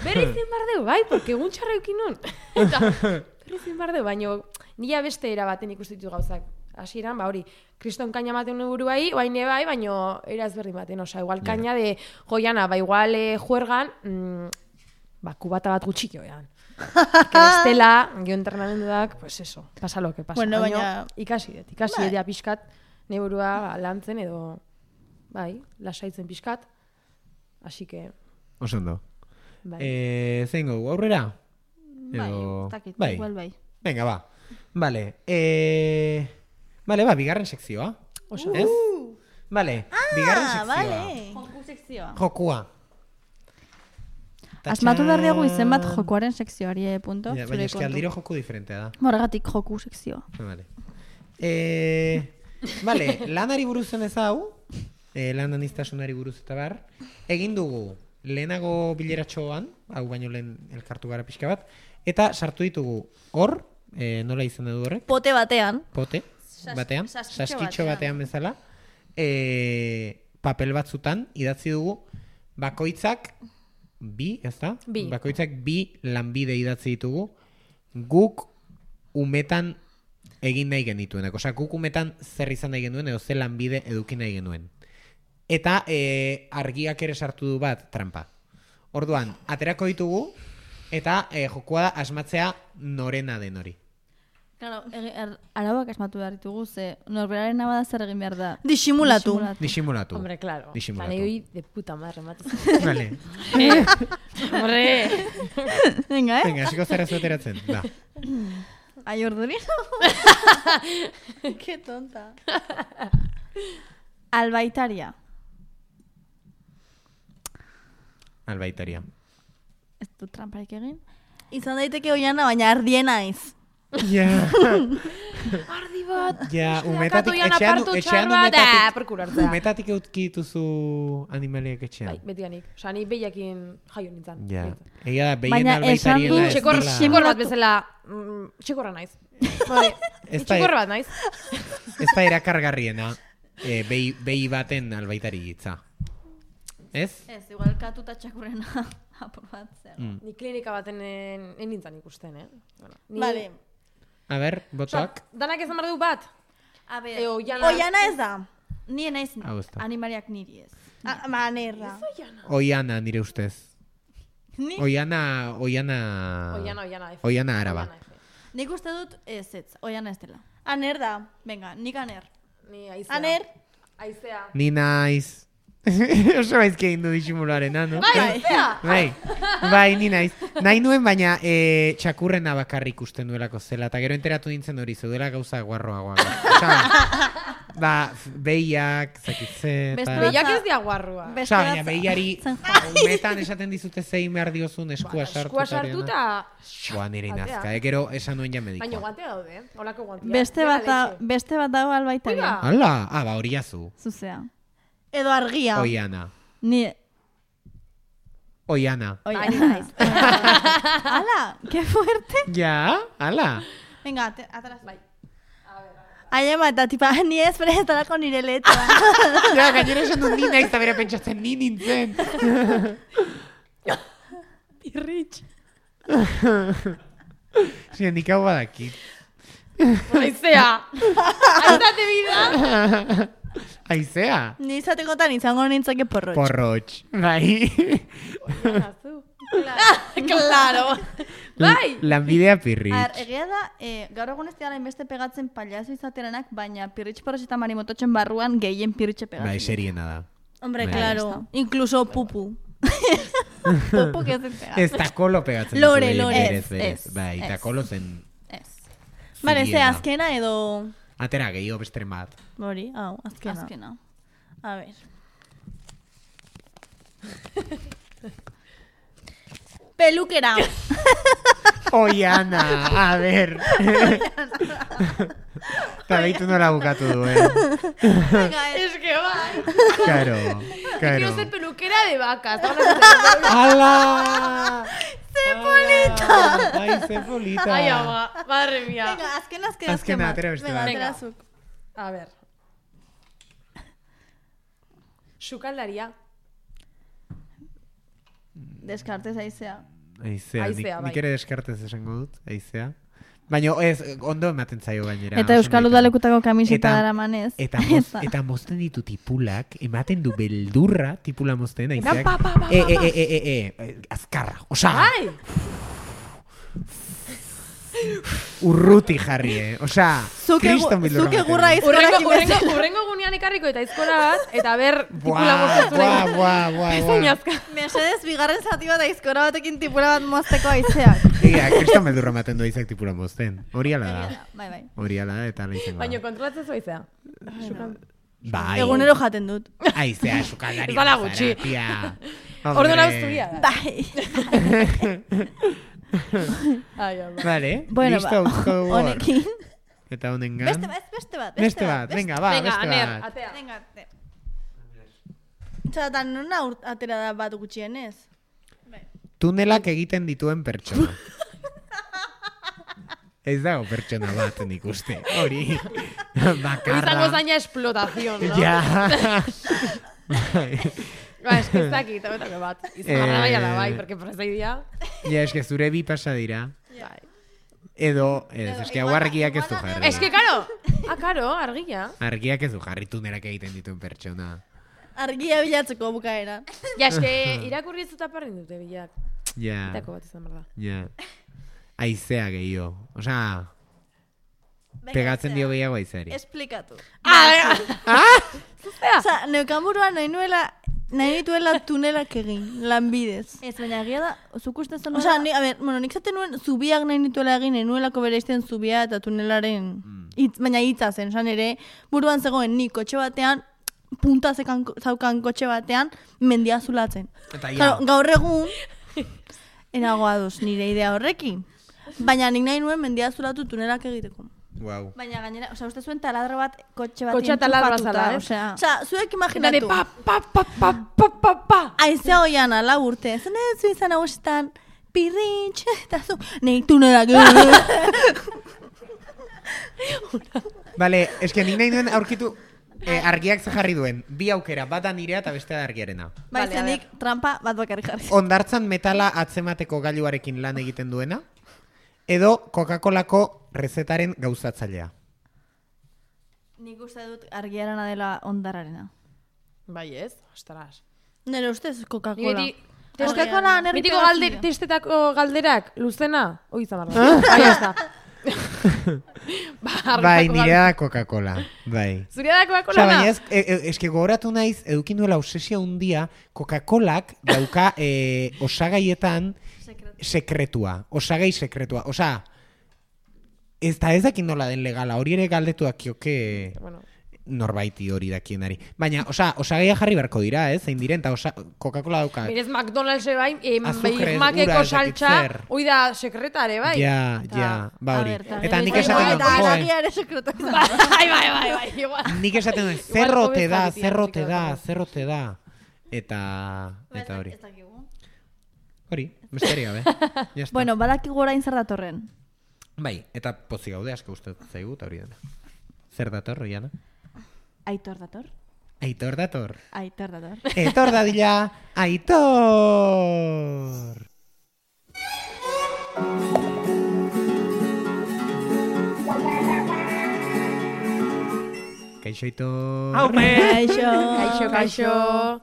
Berri zin bardeu, bai, porque egun txarra eukin nun. Eta berri zin bardeu, baina nila beste erabaten ikustitu gauzak. Hasieran, hori, kriston kaina maten buruai, oaine bai, baina era ezberdin baten, osea, igual kaina de joiana, igual juergan, kubata bat gutxik joan. Que bestela, gio entrenamenduak, pues eso, pasa lo que pasa. Bueno, baina ikasi edia pixkat, ne burua lantzen edo, bai, lasaitzen pixkat. Así que... Osondo. Bai. Zein gogu, aurrera? Bai, igual bai. Venga, ba. Vale, ba, bigarren sekzioa. Oso. Ez? Vale, bigarren sekzioa. Vale. Joku sekzioa. Jokua. Asmatu behar diagu izen bat jokuaren sekzioari, punto. Ja, baina eski aldiro joku diferentea da. Morgatik joku sekzioa. Vale. Vale, lanari buruz zen ez hau, lan aniztasunari buruz eta bar, egin dugu lehenago bileratxoan, hau baino lehen elkartu gara pixka bat, eta sartu ditugu hor, nola izan edu horrek? Pote batean. Saskitxo batean bezala, papel batzutan idatzi dugu bakoitzak bakoitzak 2 lanbide idatzi ditugu guk umetan egin nahi genituenak. Osea, guk umetan zer izan nahi genuen edo ze lanbide eduki nahi genuen. Eta argiak ere sartu du bat trampa. Orduan, aterako ditugu eta jokua da asmatzea norena den hori. Claro, arauak asmatu behar ditugu, ze norberaren abada zer egin behar da. Disimulatu. Hombre, claro. Disimulatu. Hoi de puta madre, matuz. Vale. Hombre. Venga, Venga, hasiko zara zueteratzen. Da. Ai, ordurino. Qué tonta. Albaitaria. Albaitaria. Ez du tramparik egin. Izan daiteke oiana, baina ardien naiz. Ja. Ardi bat. Ja, umetatik etxean umetatik. Umetatik eutkituzu animaliak etxean. Bai, betianik. Osa, ni behiakin jaio nintzen. Ja. Egia da, behien Baina esan du albaitariela Txekor bat bezala, txekorra naiz. Txekorra bat naiz. Ez da erakargarriena behi baten albaitari hitza. Ez? Ez, igual katuta txakurrena apur bat zer. Ni klinika baten nintzen ikusten, Bueno, Vale. A ber, botoak. Danak ezan behar du bat? A ber, Oiana ez da. ni naiz Hau ez da. animariak niri ez. Manerra. Oiana, nire ustez. Ni? Oiana araba. Nik uste dut ez, oiana ez dela. Aner da. Venga, nik aner. Ni aizea. Aner. Aizea. Ni naiz. Oso baizki egin du disimularen, no? Bai, ni naiz. Nahi nuen, baina txakurrena bakarrik ikusten duelako zela, eta gero enteratu nintzen hori, zeudela gauza guarroagoa. Ba, behiak, zakitzen... Behiak ez dia guarrua. Osa, baina behiari umetan esaten dizute zein behar diozun eskua sartu. Eskua sartu eta... Boa, nire inazka, gero esan nuen ja medikoa. Baina guantea daude, holako guantea. Beste bat dago albaitaria. Hala, ba, hori jazu. Zuzea. Edo argia. Oiana. Ni... Oiana. Oye, Ni naiz. ¡Hala! ¡Qué fuerte! Ja, ala. Venga, atrás. Bai. Aiema, eta tipa, ni ez prestarako nire letra. Ja, gainera esan dut ni naiz, eta bera pentsatzen ni nintzen. Irritx. Sí, nik hau badakit. Aizea. Aizate bida. Aizea. Ni izatekotan izango nintzake porrotx. Porrotx. Bai. Claro. Bai. Lanbidea pirritx. Egia da, gaur egun ez dira inbeste pegatzen paliazo izateranak, baina pirritx porrotx eta marimototxen barruan gehien pirritxe pegatzen. Bai, seriena da. Hombre, Bai. claro. Incluso pupu. Pupu que se pega. Ez takolo pegatzen. Lore, duzu, lore. berez, berez. Ez, Bai, ez. takolo zen. Ez. Vale, ze zuriena. azkena edo... Atera gehiago besteren bat. Hori, hau, azkena. A ver. Pelukera. Oiana, a ver. Eta behitu nola bukatu duen. Es que bai. Claro, Quiero claro. ser peluquera de vacas. ¡Hala! Zepolita! Ai, zepolita. Ai, ama, madre mía. Venga, azkena. Azkena, atera beste Venga, bat. atera zuk. A ver. Sukaldaria. Deskartez aizea. Aizea, Aizea, bai. nik ere deskartez esango dut, aizea. Baina ez, ondo ematen zaio gainera. Eta oso Euskal nahita. Udalekutako kamiseta Eta- daramanez. Eta mozten ditu tipulak, ematen du beldurra tipula mozten, aizeak. pa, pa, pa, pa. Azkarra, osa, Ai! urruti jarri, Osa, kriston beldurra. Zuke ematen gurra du. izkorak Urrengo gunean ekarriko eta izkora bat, eta ber, tipula moztezure. Buah. Mesedez, bigarren zati bat aizkora batekin tipula bat mozteko aizeak. Ia, kriston beldurra ematen du aizeak tipula mozten. Hori ala da. Bai. Hori ala da, eta ala izango Baina da. kontrolatzen zoizea. Bai. Egunero jaten dut. Aizea, sukaldari. Ez dala gutxi. Hombre. Orduan abuzturia da. Bai. Ai, ama. Vale, Bueno, listo, utzko dugu hor. honekin. Eta honengan. Beste bat. Beste bat, venga, ba, Venga, beste aner, bat. atea. Venga, arte. Txatan, nuna atera da bat gutxienez? Tunelak egiten dituen pertsona. Ez dago pertsona bat nik uste. Hori. Bakarra. Izango zaina explotación, no? Ja. Ba, es que ez dakit, hauetako bat. Izangarra bai ala bai, porque prozeidia. Ja, eske zure bi pasa dira. Bai. Edo, eske hau argiak ez du jarri. Es que, karo, argia. Argiak ez du jarri tunelak egiten dituen pertsona. Argia bilatzeko bukaera. Ja, eske, irakurri ez dut aparrin dute bilak. Ja, Itako bat izan behar da. ja. Aizea gehiago. Osea, pegatzen dio gehiago aizeari. Esplikatu. Zuzea! Neukan buruan nahi nituela tunelak egin, lanbidez. Ez, baina egia da, zuk uste zen... Osa, nik zaten nuen zubiak nahi nituela egin, enuelako bere izten zubia eta tunelaren... Baina hitza zen, esan ere, buruan zegoen nik kotxe batean, punta zaukan kotxe batean, mendia zulatzen. Eta Claro, gaur egun, enagoa duz nire idea horrekin. Baina nik nahi nuen mendia zulatu tunelak egiteko. Wow. Baina gainera, uste zuen taladro bat kotxe bat Kotxea taladroa zala, Osea, zuek Dane, imaginatu. pa. Aizea hoian ala urte. Zen ez zu izan hausetan, pirritx, eta zu, nahi tunelak. Bale, eske nik nahi duen aurkitu argiak ze jarri duen. Bi aukera, bat da nirea eta bestea da argiarena. Bai, Vale, a zenik trampa bat bakarrik jarri. Ondartzan metala atzemateko gailuarekin lan egiten duena, edo Coca-Colako rezetaren gauzatzailea. Nik uste dut argiarena dela ondararena. Bai ez, ostras. Nire ustez Coca-Cola. Niri, Coca-Cola nerri mitiko pegatzen dio. testetako galderak, luzena, hoi izan behar da. Bai, ez da. Bai, nirea da Coca-Cola. Bai. Zuria da Osea, Coca-Cola baina da? eske gogoratu naiz, edukin duela obsesia undia, Coca-Colak dauka osagaietan sekretua. Osagai sekretua. Osea, ez dakin nola den legala, hori ere galdetu dakioke Bueno, norbaiti hori dakienari. Baina, osagaia jarri beharko dira, zein diren, eta Coca-Cola dauka. mirez McDonald's bai, Azukre, makeko ura, ez dakit saltza, zer. hoi da sekretare, bai? Ja, ba hori. Eta nik Bai, esaten bai, dut, Eta joe, aragia ere sekretu izan. Bai, igual. nik esaten dut, Igual zerrote hobe da, zabitia, zerrote da, zikatu. zerrote da. Eta hori. Ez dakigu. Hori, besterik gabe. Ya está. Bueno, badakigu orain zer datorren. Bai, eta pozik gaude asko uste zaigu, eta hori dena. Zer dator, Oiana? Aitor dator. Aitor dator. Aitor dator. Etor dadila, Aitor! Kaixo, Aitor. Haupe! Kaixo.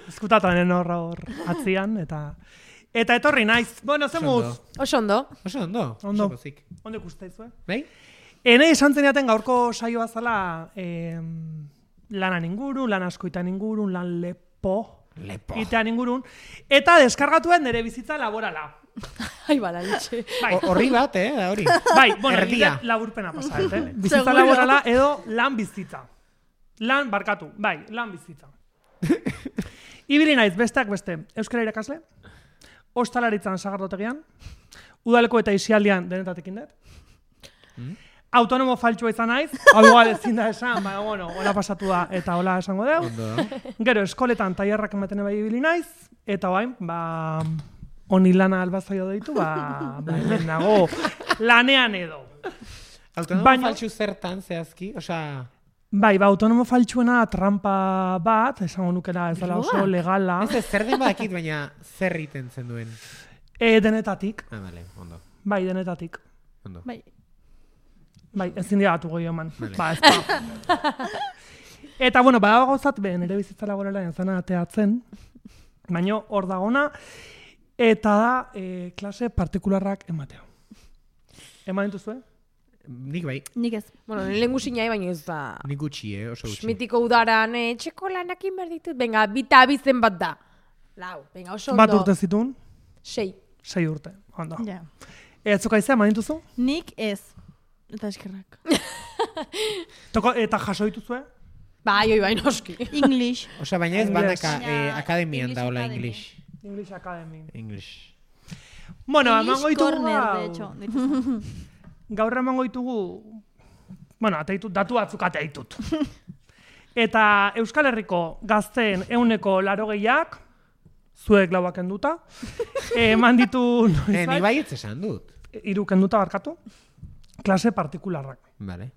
Eskutatanen hor atzian, eta etorri naiz. Bueno, zemuz. Oso ondo. Oso ondo. Ondo. Oso pozik. Ondo ikusteizue. Bai? Enei esan zeniaten gaurko saioa zala lanan ingurun, lan askoitan ingurun, lan lepo. Itean ingurun. Eta deskargatuen nire bizitza laborala. Ai, bala, ditxe. Bai, Horri bat, da hori. bai, bueno, Erdia. laburpena pasa, bizitza Seguro. laborala edo lan bizitza. Lan barkatu, bai, lan bizitza. Ibili naiz, besteak beste, euskara irakasle, ostalaritzan sagardotegian, udaleko eta isialdian denetatekin dut. Autonomo faltsua izan naiz, hau igual ezin da esan, baina bueno, hola pasatu da eta hola esango deu. Gero, eskoletan tailerrak ematen bai ibili naiz, eta bain, honi lana albazaio deitu, hemen nago lanean edo. Autonomo Baina- faltsu zertan zehazki, osea... Bai, autonomo faltsuena trampa bat, esango nukera ez dela oso legala, Ez zer den badakit, baina zer iten zen duen. denetatik, Vale, ondo. bai, denetatik. Ondo. Bai, ezin digatu goi eman. Vale. Ez da. Eta, bueno, badago gauzat, nire bizitza laborala entzana ateatzen, baina hor dagona, eta da klase partikularrak ematea. Eman dituzue? Nik bai, nik ez. Bueno, lehen guzinai, baina ez da... nik gutxi, oso gutxi. Mitiko udaran, txeko lanakin behar ditut, venga, bita abizen bat da. Lau, venga, oso ondo. Bat urte zituen, 6. 6 urte. Ondo. Ja. Zuka izan, eman dituzu? Nik ez. Eta eskerrak. Eta jaso dituzue? Bai, noski. English. Osea, baina ez Inglés. banaka akademian English da hola Academy. English. English Academy. English. Bueno, English emango ditugu corner, de gaur. hecho. Gaur emango ditugu, bueno, ateitut, datu batzuk ateitut. Eta Euskal Herriko gazteen 180ak, zuek lauak enduta, eman ditu Ni bai ez esan dut. 3 kenduta barkatu, klase partikularrak. Vale.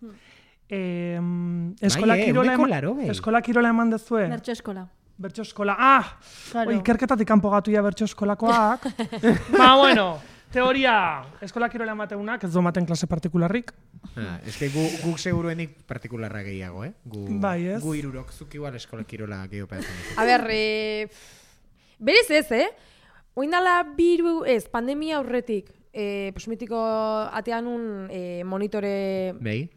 Eskola Bai, kirola ehuneko 80. eskola kirola eman dezue. Bertso eskola. Bertso eskola. Claro. Ikerketatik kanpo gatu ja bertso eskolakoak. Bueno, teoria, eskola kirola emateunak ez du ematen klase partikularrik. Eske guk seguruenik partikularra gehiago, Bai, ez? Gu irurok, zuk igual eskola kirola gehiago pedatzen. A ber, berez ez, Oindala pandemia aurretik, mitiko atean un monitore Bai?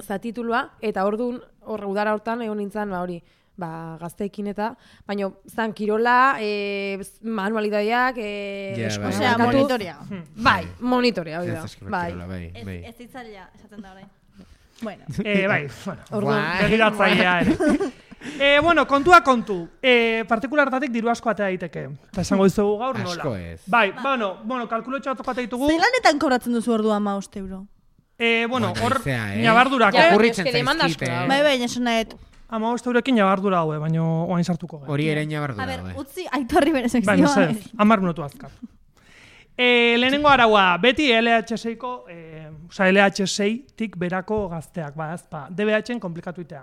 zatitulua, eta orduan, udara hortan egon nintzen, hori, gazteekin eta, baina zan kirola, manualidadiak, Ja, bai. Osea, monitorea. Bai, monitorea, hori Ez da. eskola Bai. kirola, bai. Ez ditzailea, esaten da orain. Bueno. Bai, bueno. Orduan, Guai. Begiratzailea ere. Bueno, kontua kontu. Partikulartatik diru asko atea daiteke. Eta esango dizugu gaur nola. Asko ez. Bai, bueno, kalkulotxo batzuk atea ditugu. Zeilanetan kobratzen duzu ordua 15 euro? Bueno, hor Haizea, ñabardurak. Ja, Okurritzen eske demanda zaizkit, asko da. Bai, bai, esan nahet. 15 euroekin ñabardura haue, baina oain sartuko gara. Hori ere ñabardu A ber, daude. utzi Aitorri bere Bai, sekzioa. ez, 10 minutu azkar. Lehenengo araua, beti LH6ko, LH6-tik berako gazteak, ezpa, DBH-en komplikatu itea.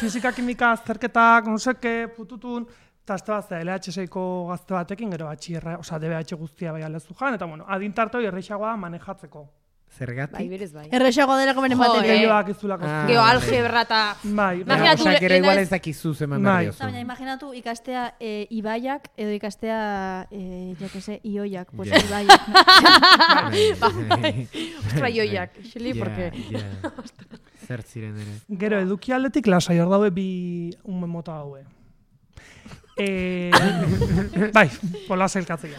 Fizika, kimika, azterketak, noseke, pututun, eta azte bat, LH6ko gazte batekin, gero batxierra, DBH guztia bai alezu jan, eta bueno, adintartoi erreixagoa manejatzeko. Zergatik? Bai, berez bai. Errexago delako beren Jo, bateria. Leioak izulako. Geo algebra eta... Bai, Imagina- Osea, gero Eta igual ez- ez dakizu zeman Bai. behar Eta baina diozu. imaginatu ikastea ibaiak edo ikastea, jo que se, ioiak, pues Ja. ibaiak. Ostra, joiak, xili, Ja, porque... ja. Zer ziren ere. Gero eduki aldetik lasai hor daude bi unmen mota daue. Bai, pola zailkatzea.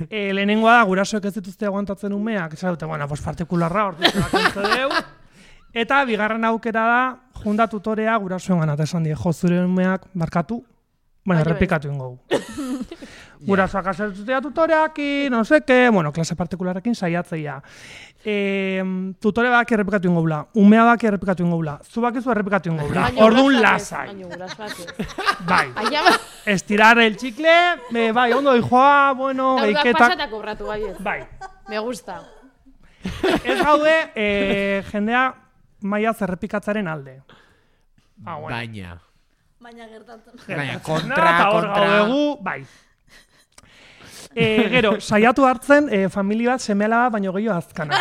Lehenengoa da, gurasoek ez dituzte aguantatzen umeak, esan dute, bueno, pues partikularra hor deu. Eta bigarren aukera da, junda tutorea gurasoen gana, eta esan die, jo, zure umeak barkatu, Baina errepikatu ingo. Gurasoak asertutea tutoreakin, no seke, bueno, klase partikularekin saiatzeia. Tutore bak errepikatu ingo bula, umea bak errepikatu ingo bula, zu bakizu errepikatu ingo bula, orduan lasai. Bai, estirar el chicle, bai, ondo dijoa, bueno, geiketak. Daudak pasatak obratu, bai. Me gusta. Ez gaude, jendea maiaz errepikatzaren alde. Baina. Baina gertatzen. Baina, kontra. Gaudegu, bai. Gero, saiatu hartzen, familia bat, seme-alaba bat, baino gehiago azkana.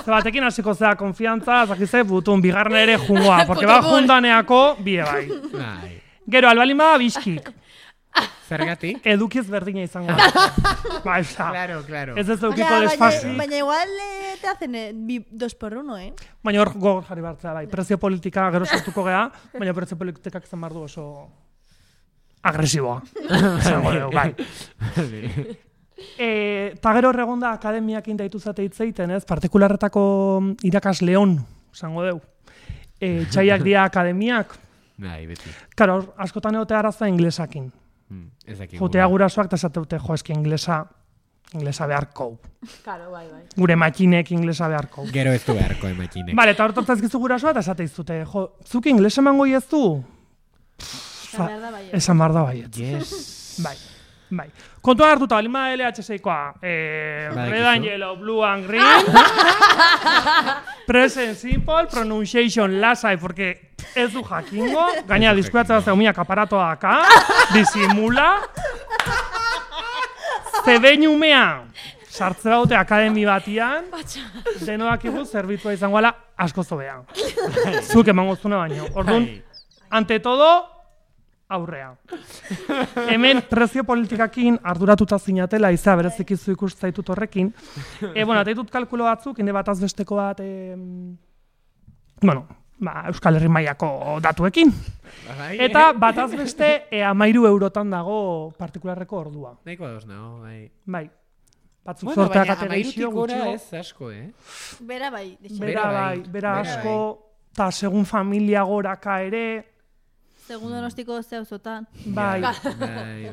Batekin hasiko zea konfiantza, zakize, butun, bigarren ere jungoa, porque ba jundaneako, bie bai. Gero, albalin bada bizkik. Zergatik? Edukiz berdina izango. Ba, esa. Claro. Ez ez edukiko desfasi. Baina igual te hacen 2x1, Baina hor gogor jarri bartzea, bai. Prezio politika gero sortuko gea, baina prezio politikak izan bardu oso agresiboa. Zango dugu, bai. Ta gero erregonda akademiak indaitu zate hitzeiten, ez? Partikularretako irakasleon, zango dugu. Txaiak dira akademiak. Bai, beti. Karo, askotan egotea arazoa inglesakin. Jotea gurasoak eta esateute, jo, eski inglesa beharko. Claro, bai. Gure makinek inglesa beharko. Gero ez du beharko makinek. Vale, eta hortu ezkizu gurasoa eta esate izute, jo, zuk inglesa emango ez du? Esan behar da baiet. Yes. Bai. Kontuan hartuta, balima LHS-koa, red and yellow, blue and green, present simple, pronunciation lasai, porque ez du jakingo, gaina diskuratzea zeumiak aparatoa daka, disimula, zebein umea, sartze baute akademi batian, denoak igu zerbitzua izango ala asko zobean. Zuk emango zuna baino. Orduan, ante todo, aurrea. Hemen prezio politikakin arduratuta zinatela, izea berezik izu ikustaitut horrekin. Bueno, eta ditut kalkulo batzuk, inde bataz besteko bat, Euskal Herri mailako datuekin. Eta bataz beste 13 eurotan dago partikularreko ordua. Nahiko ados nago, bai. Bai. Batzuk zorteak ategaizio gutxio. Ez asko, Bera bai. Bera asko, eta segun familia goraka ere. Segun donostiko zeuzotan. Bai.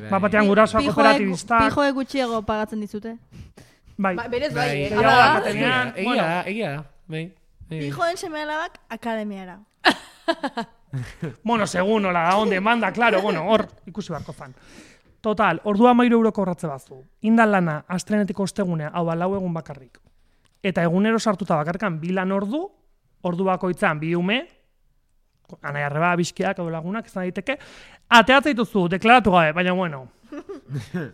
Batean gurasoa kooperatibistak. Pijoe gutxiego pagatzen dizute. Bai. Berez bai, Egia da, bai. Pijoen seme-alabak akademiara. Bueno, segun hola da, onde manda, claro, hor ikusi barko fan. Total, ordua 13 euroko horratze bazu. Indan lana, astrenetiko ostegunea, hau 4 egun bakarrik. Eta egunero sartuta bakarkan 2 lan ordu bakoitzan 2 ume, anaia arreba, bizkiak, edo lagunak, izan daiteke, ateatzea dituzu, deklaratu gabe, baina bueno,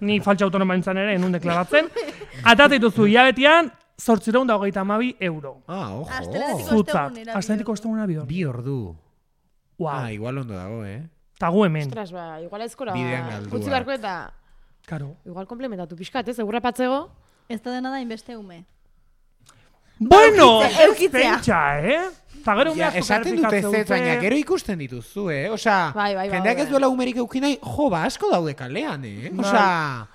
ni faltxa autonoma nintzen ere, enun deklaratzen, ateatzea dituzu hilabetian, 822 euro. Ojo. Asteletiko ostegunera 2 ordu. 2 ordu. Igual ondo dago, Ta gu hemen. Ostras, igual ezkora. Bidean galdua. Utzi barko eta... Karo. Igual komplementatu pixkat, ez? Egurra patzego. Ez da dena da inbeste ume. Bueno, eukitzea. pentsa, Ta gero ume asko esaten dute ez, baina gero ikusten dituzu, Osa, jendeak ez duela umerik eukinai, asko daude kalean, Osa...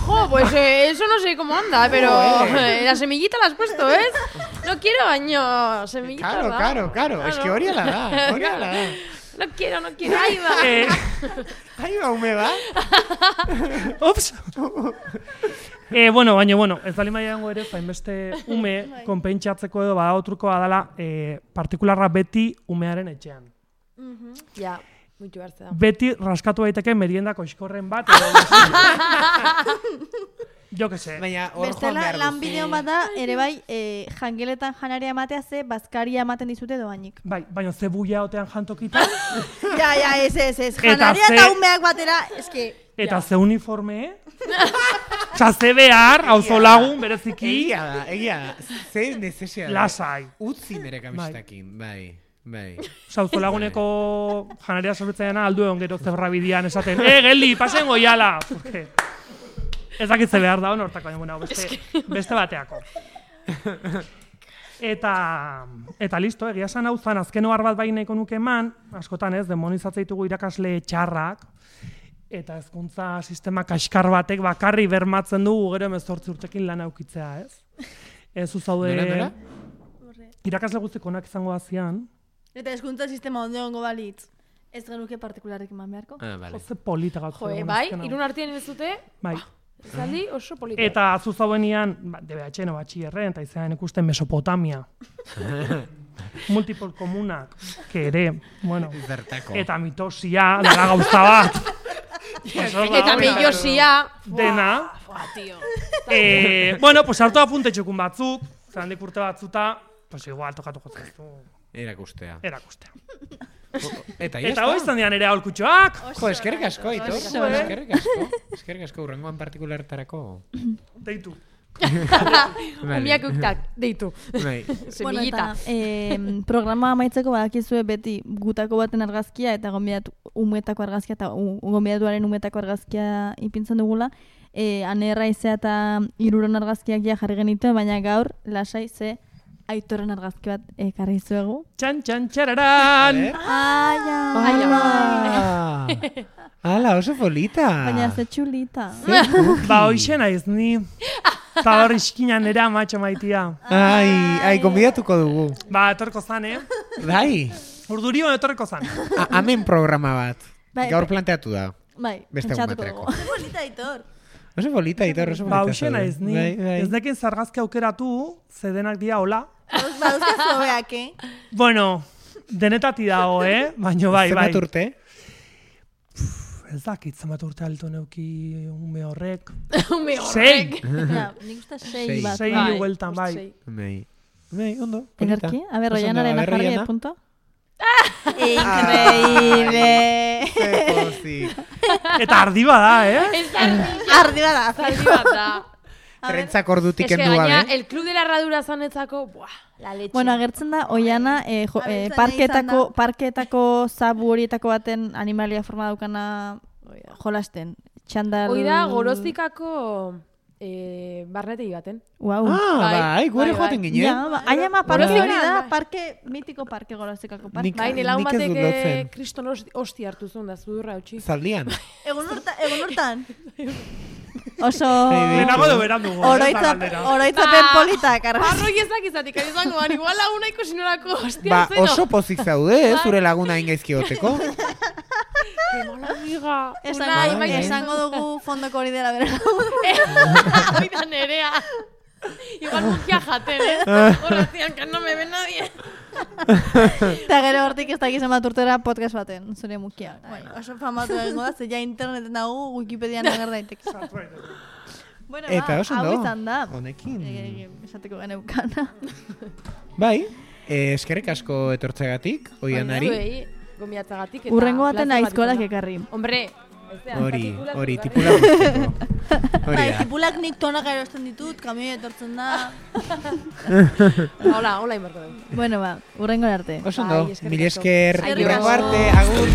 Jo, pues eso no sé cómo anda, pero la semillita la has puesto, ¿ves? No quiero baño, semillita. Claro, es que hori ala da. No quiero, ahí va. Ahí va, ume va. Ups. Bueno, ez bali maiango ere, zainbeste ume konpentsatzeko edo badago trukoa dela partikularra beti umearen etxean. Ja. Muitu hartze da. Beti raskatu daiteke meriendako iskorren bat. Edo jo que sé. Bestela, lan bideon bat da, ere bai, jangeletan janaria ematea ze, bazkaria ematen dizute doainik. Bai, baina ze buia otean jantokitan. Ez. Janaria eta umeak batera, eske... Eta ze uniforme, Osa, ze behar, hauzo lagun, bereziki... Egia da. Ze necesidad. Lasai. Utzi nire kamistakin, bai. Sauzo laguneko janaria sorbetzaiana aldu egon gero zebra bidian esaten geldi, pasen goiala! Ez dakitze behar da, hortako, beste bateako. Eta listo, egia esan hau zan, azken ohar bat bai nahiko nuke eman, askotan ez, demonizatzea ditugu irakasle txarrak, eta hezkuntza sistema kaskar batek bakarri bermatzen dugu gero 18 urtekin lan aukitzea, ez? Ez uzaude... Irakasle guztik onak izango bazian, eta hezkuntza sistema ondo balitz. Ez genuke partikularrik eman beharko. Vale. Ze polita gauzatu. Bai, irun artean ez dute, Bai. zaldi oso polita. Eta zuzauenian, DBH-en batxillerren, eta izan ikusten Mesopotamia. Multiple komunak, que ere, bueno, Zertako. eta mitosia, dela gauza bat. Eta millosia. Dena. Tio. Bueno, pues hartu apunte txukun batzuk, zandik urte batzuta, pues igual tokatuko zaitu Erakustea. erakustea. Eta Eta hoi izan dian ere aholkutxoak. Jo, eskerrik asko, Aitor. Eskerrik asko. Eskerrik asko, urrengoan partikulartarako. Deitu. Umiak uktak, deitu. Bai. Bueno, Semillita. eta programa amaitzeko badakizue beti gutako baten argazkia eta gonbidatu umetako argazkia eta gonbidatuaren umetako argazkia ipintzen dugula. Anerra izea eta hiruron argazkiak ja jarri genituen, baina gaur lasai ze Aitorren argazki bat ekarri zuegu. Txan, txan, txararan! Ala, oso polita. Baina ze txulita. Ba, hoxe naiz ni. Eta hor iskinan era matxo maitia. Ai, gonbidatuko dugu. Ba, etorko zan, Bai. Urdurion etorko zan. Hemen programa bat. Bai, Gaur planteatu da. Bai, Beste pentsatuko baterako. dugu. Ze polita, Aitor. Oso polita, Aitor, oso polita. Ba, hoxe naiz ni. Bai. Ez nekin zargazki aukeratu, zedenak dia hola. Baduzka zobeak, Bueno, denetati dago, Baina bai. Zenbat urte? Ez dakit zenbat urte alto neuki ume horrek. Ume horrek. Ja, nik uste sei bat. Sei Bai, hueltan, bai. sei. Bai, ondo. polita. Ederki? A ber, Oso ondo, Oianaren a ber, jarri Oiana. punto. Increíble. Ze pozik. Eta ardi bada, Ardi bada. Zaldi bat da. Trentzak ordutik Es que kendu gaina, gabe. el club de la herradura zanetzako, buah, la leche. Bueno, agertzen da, Oiana parketako zabu horietako baten animalia forma daukana jolasten. Txandal... Hoi da, gorozikako barnetegi baten. Wow. Bai, gure bai, joaten bai. ginen. Ja, parke Gorozika, hori da, bai. mitiko parke gorozikako parke. Nik- Bai, nela nik ez dut batek lotzen. kriston hosti hartu zuen da, zudurra utzi. Zaldian. Egun hortan. Oso... Lehenago do berandugu. Oroitzapen politak, argaz. Arroi ezak izatik, ari izango, bani, igual laguna ikusi norako hostia Ba, zeno. oso pozik zaude, zure laguna ingaizki goteko. Que mala amiga. Esango dugu fondoko hori dela bera. Oida nerea. Igual mukia jaten, Horazian, que no me ve nadie. Eta gero hortik ez dakizen bat urtera podcast baten, zure mukia. Oso famatu egingo da, ze ja interneten dago Wikipedian ager daiteke. Bueno, Eta oso hau ondo. izan da. Honekin. Esateko geneukana. Bai, eskerrik asko etortzegatik, Oianari. Zuei, gomiatzagatik eta... Urrengo baten plazer bat aizkolak izan da. ekarri. Hombre, Hori, tipula guztiko. Hori Bai, da. tipulak nik tonak erosten ditut, kamioi etortzen da. Hola inbarko dugu. Bueno, ba, urrengo arte. Oso Bai, ondo, eskerrik mil asko. esker, Eskerrik urrengo asko. arte, agur.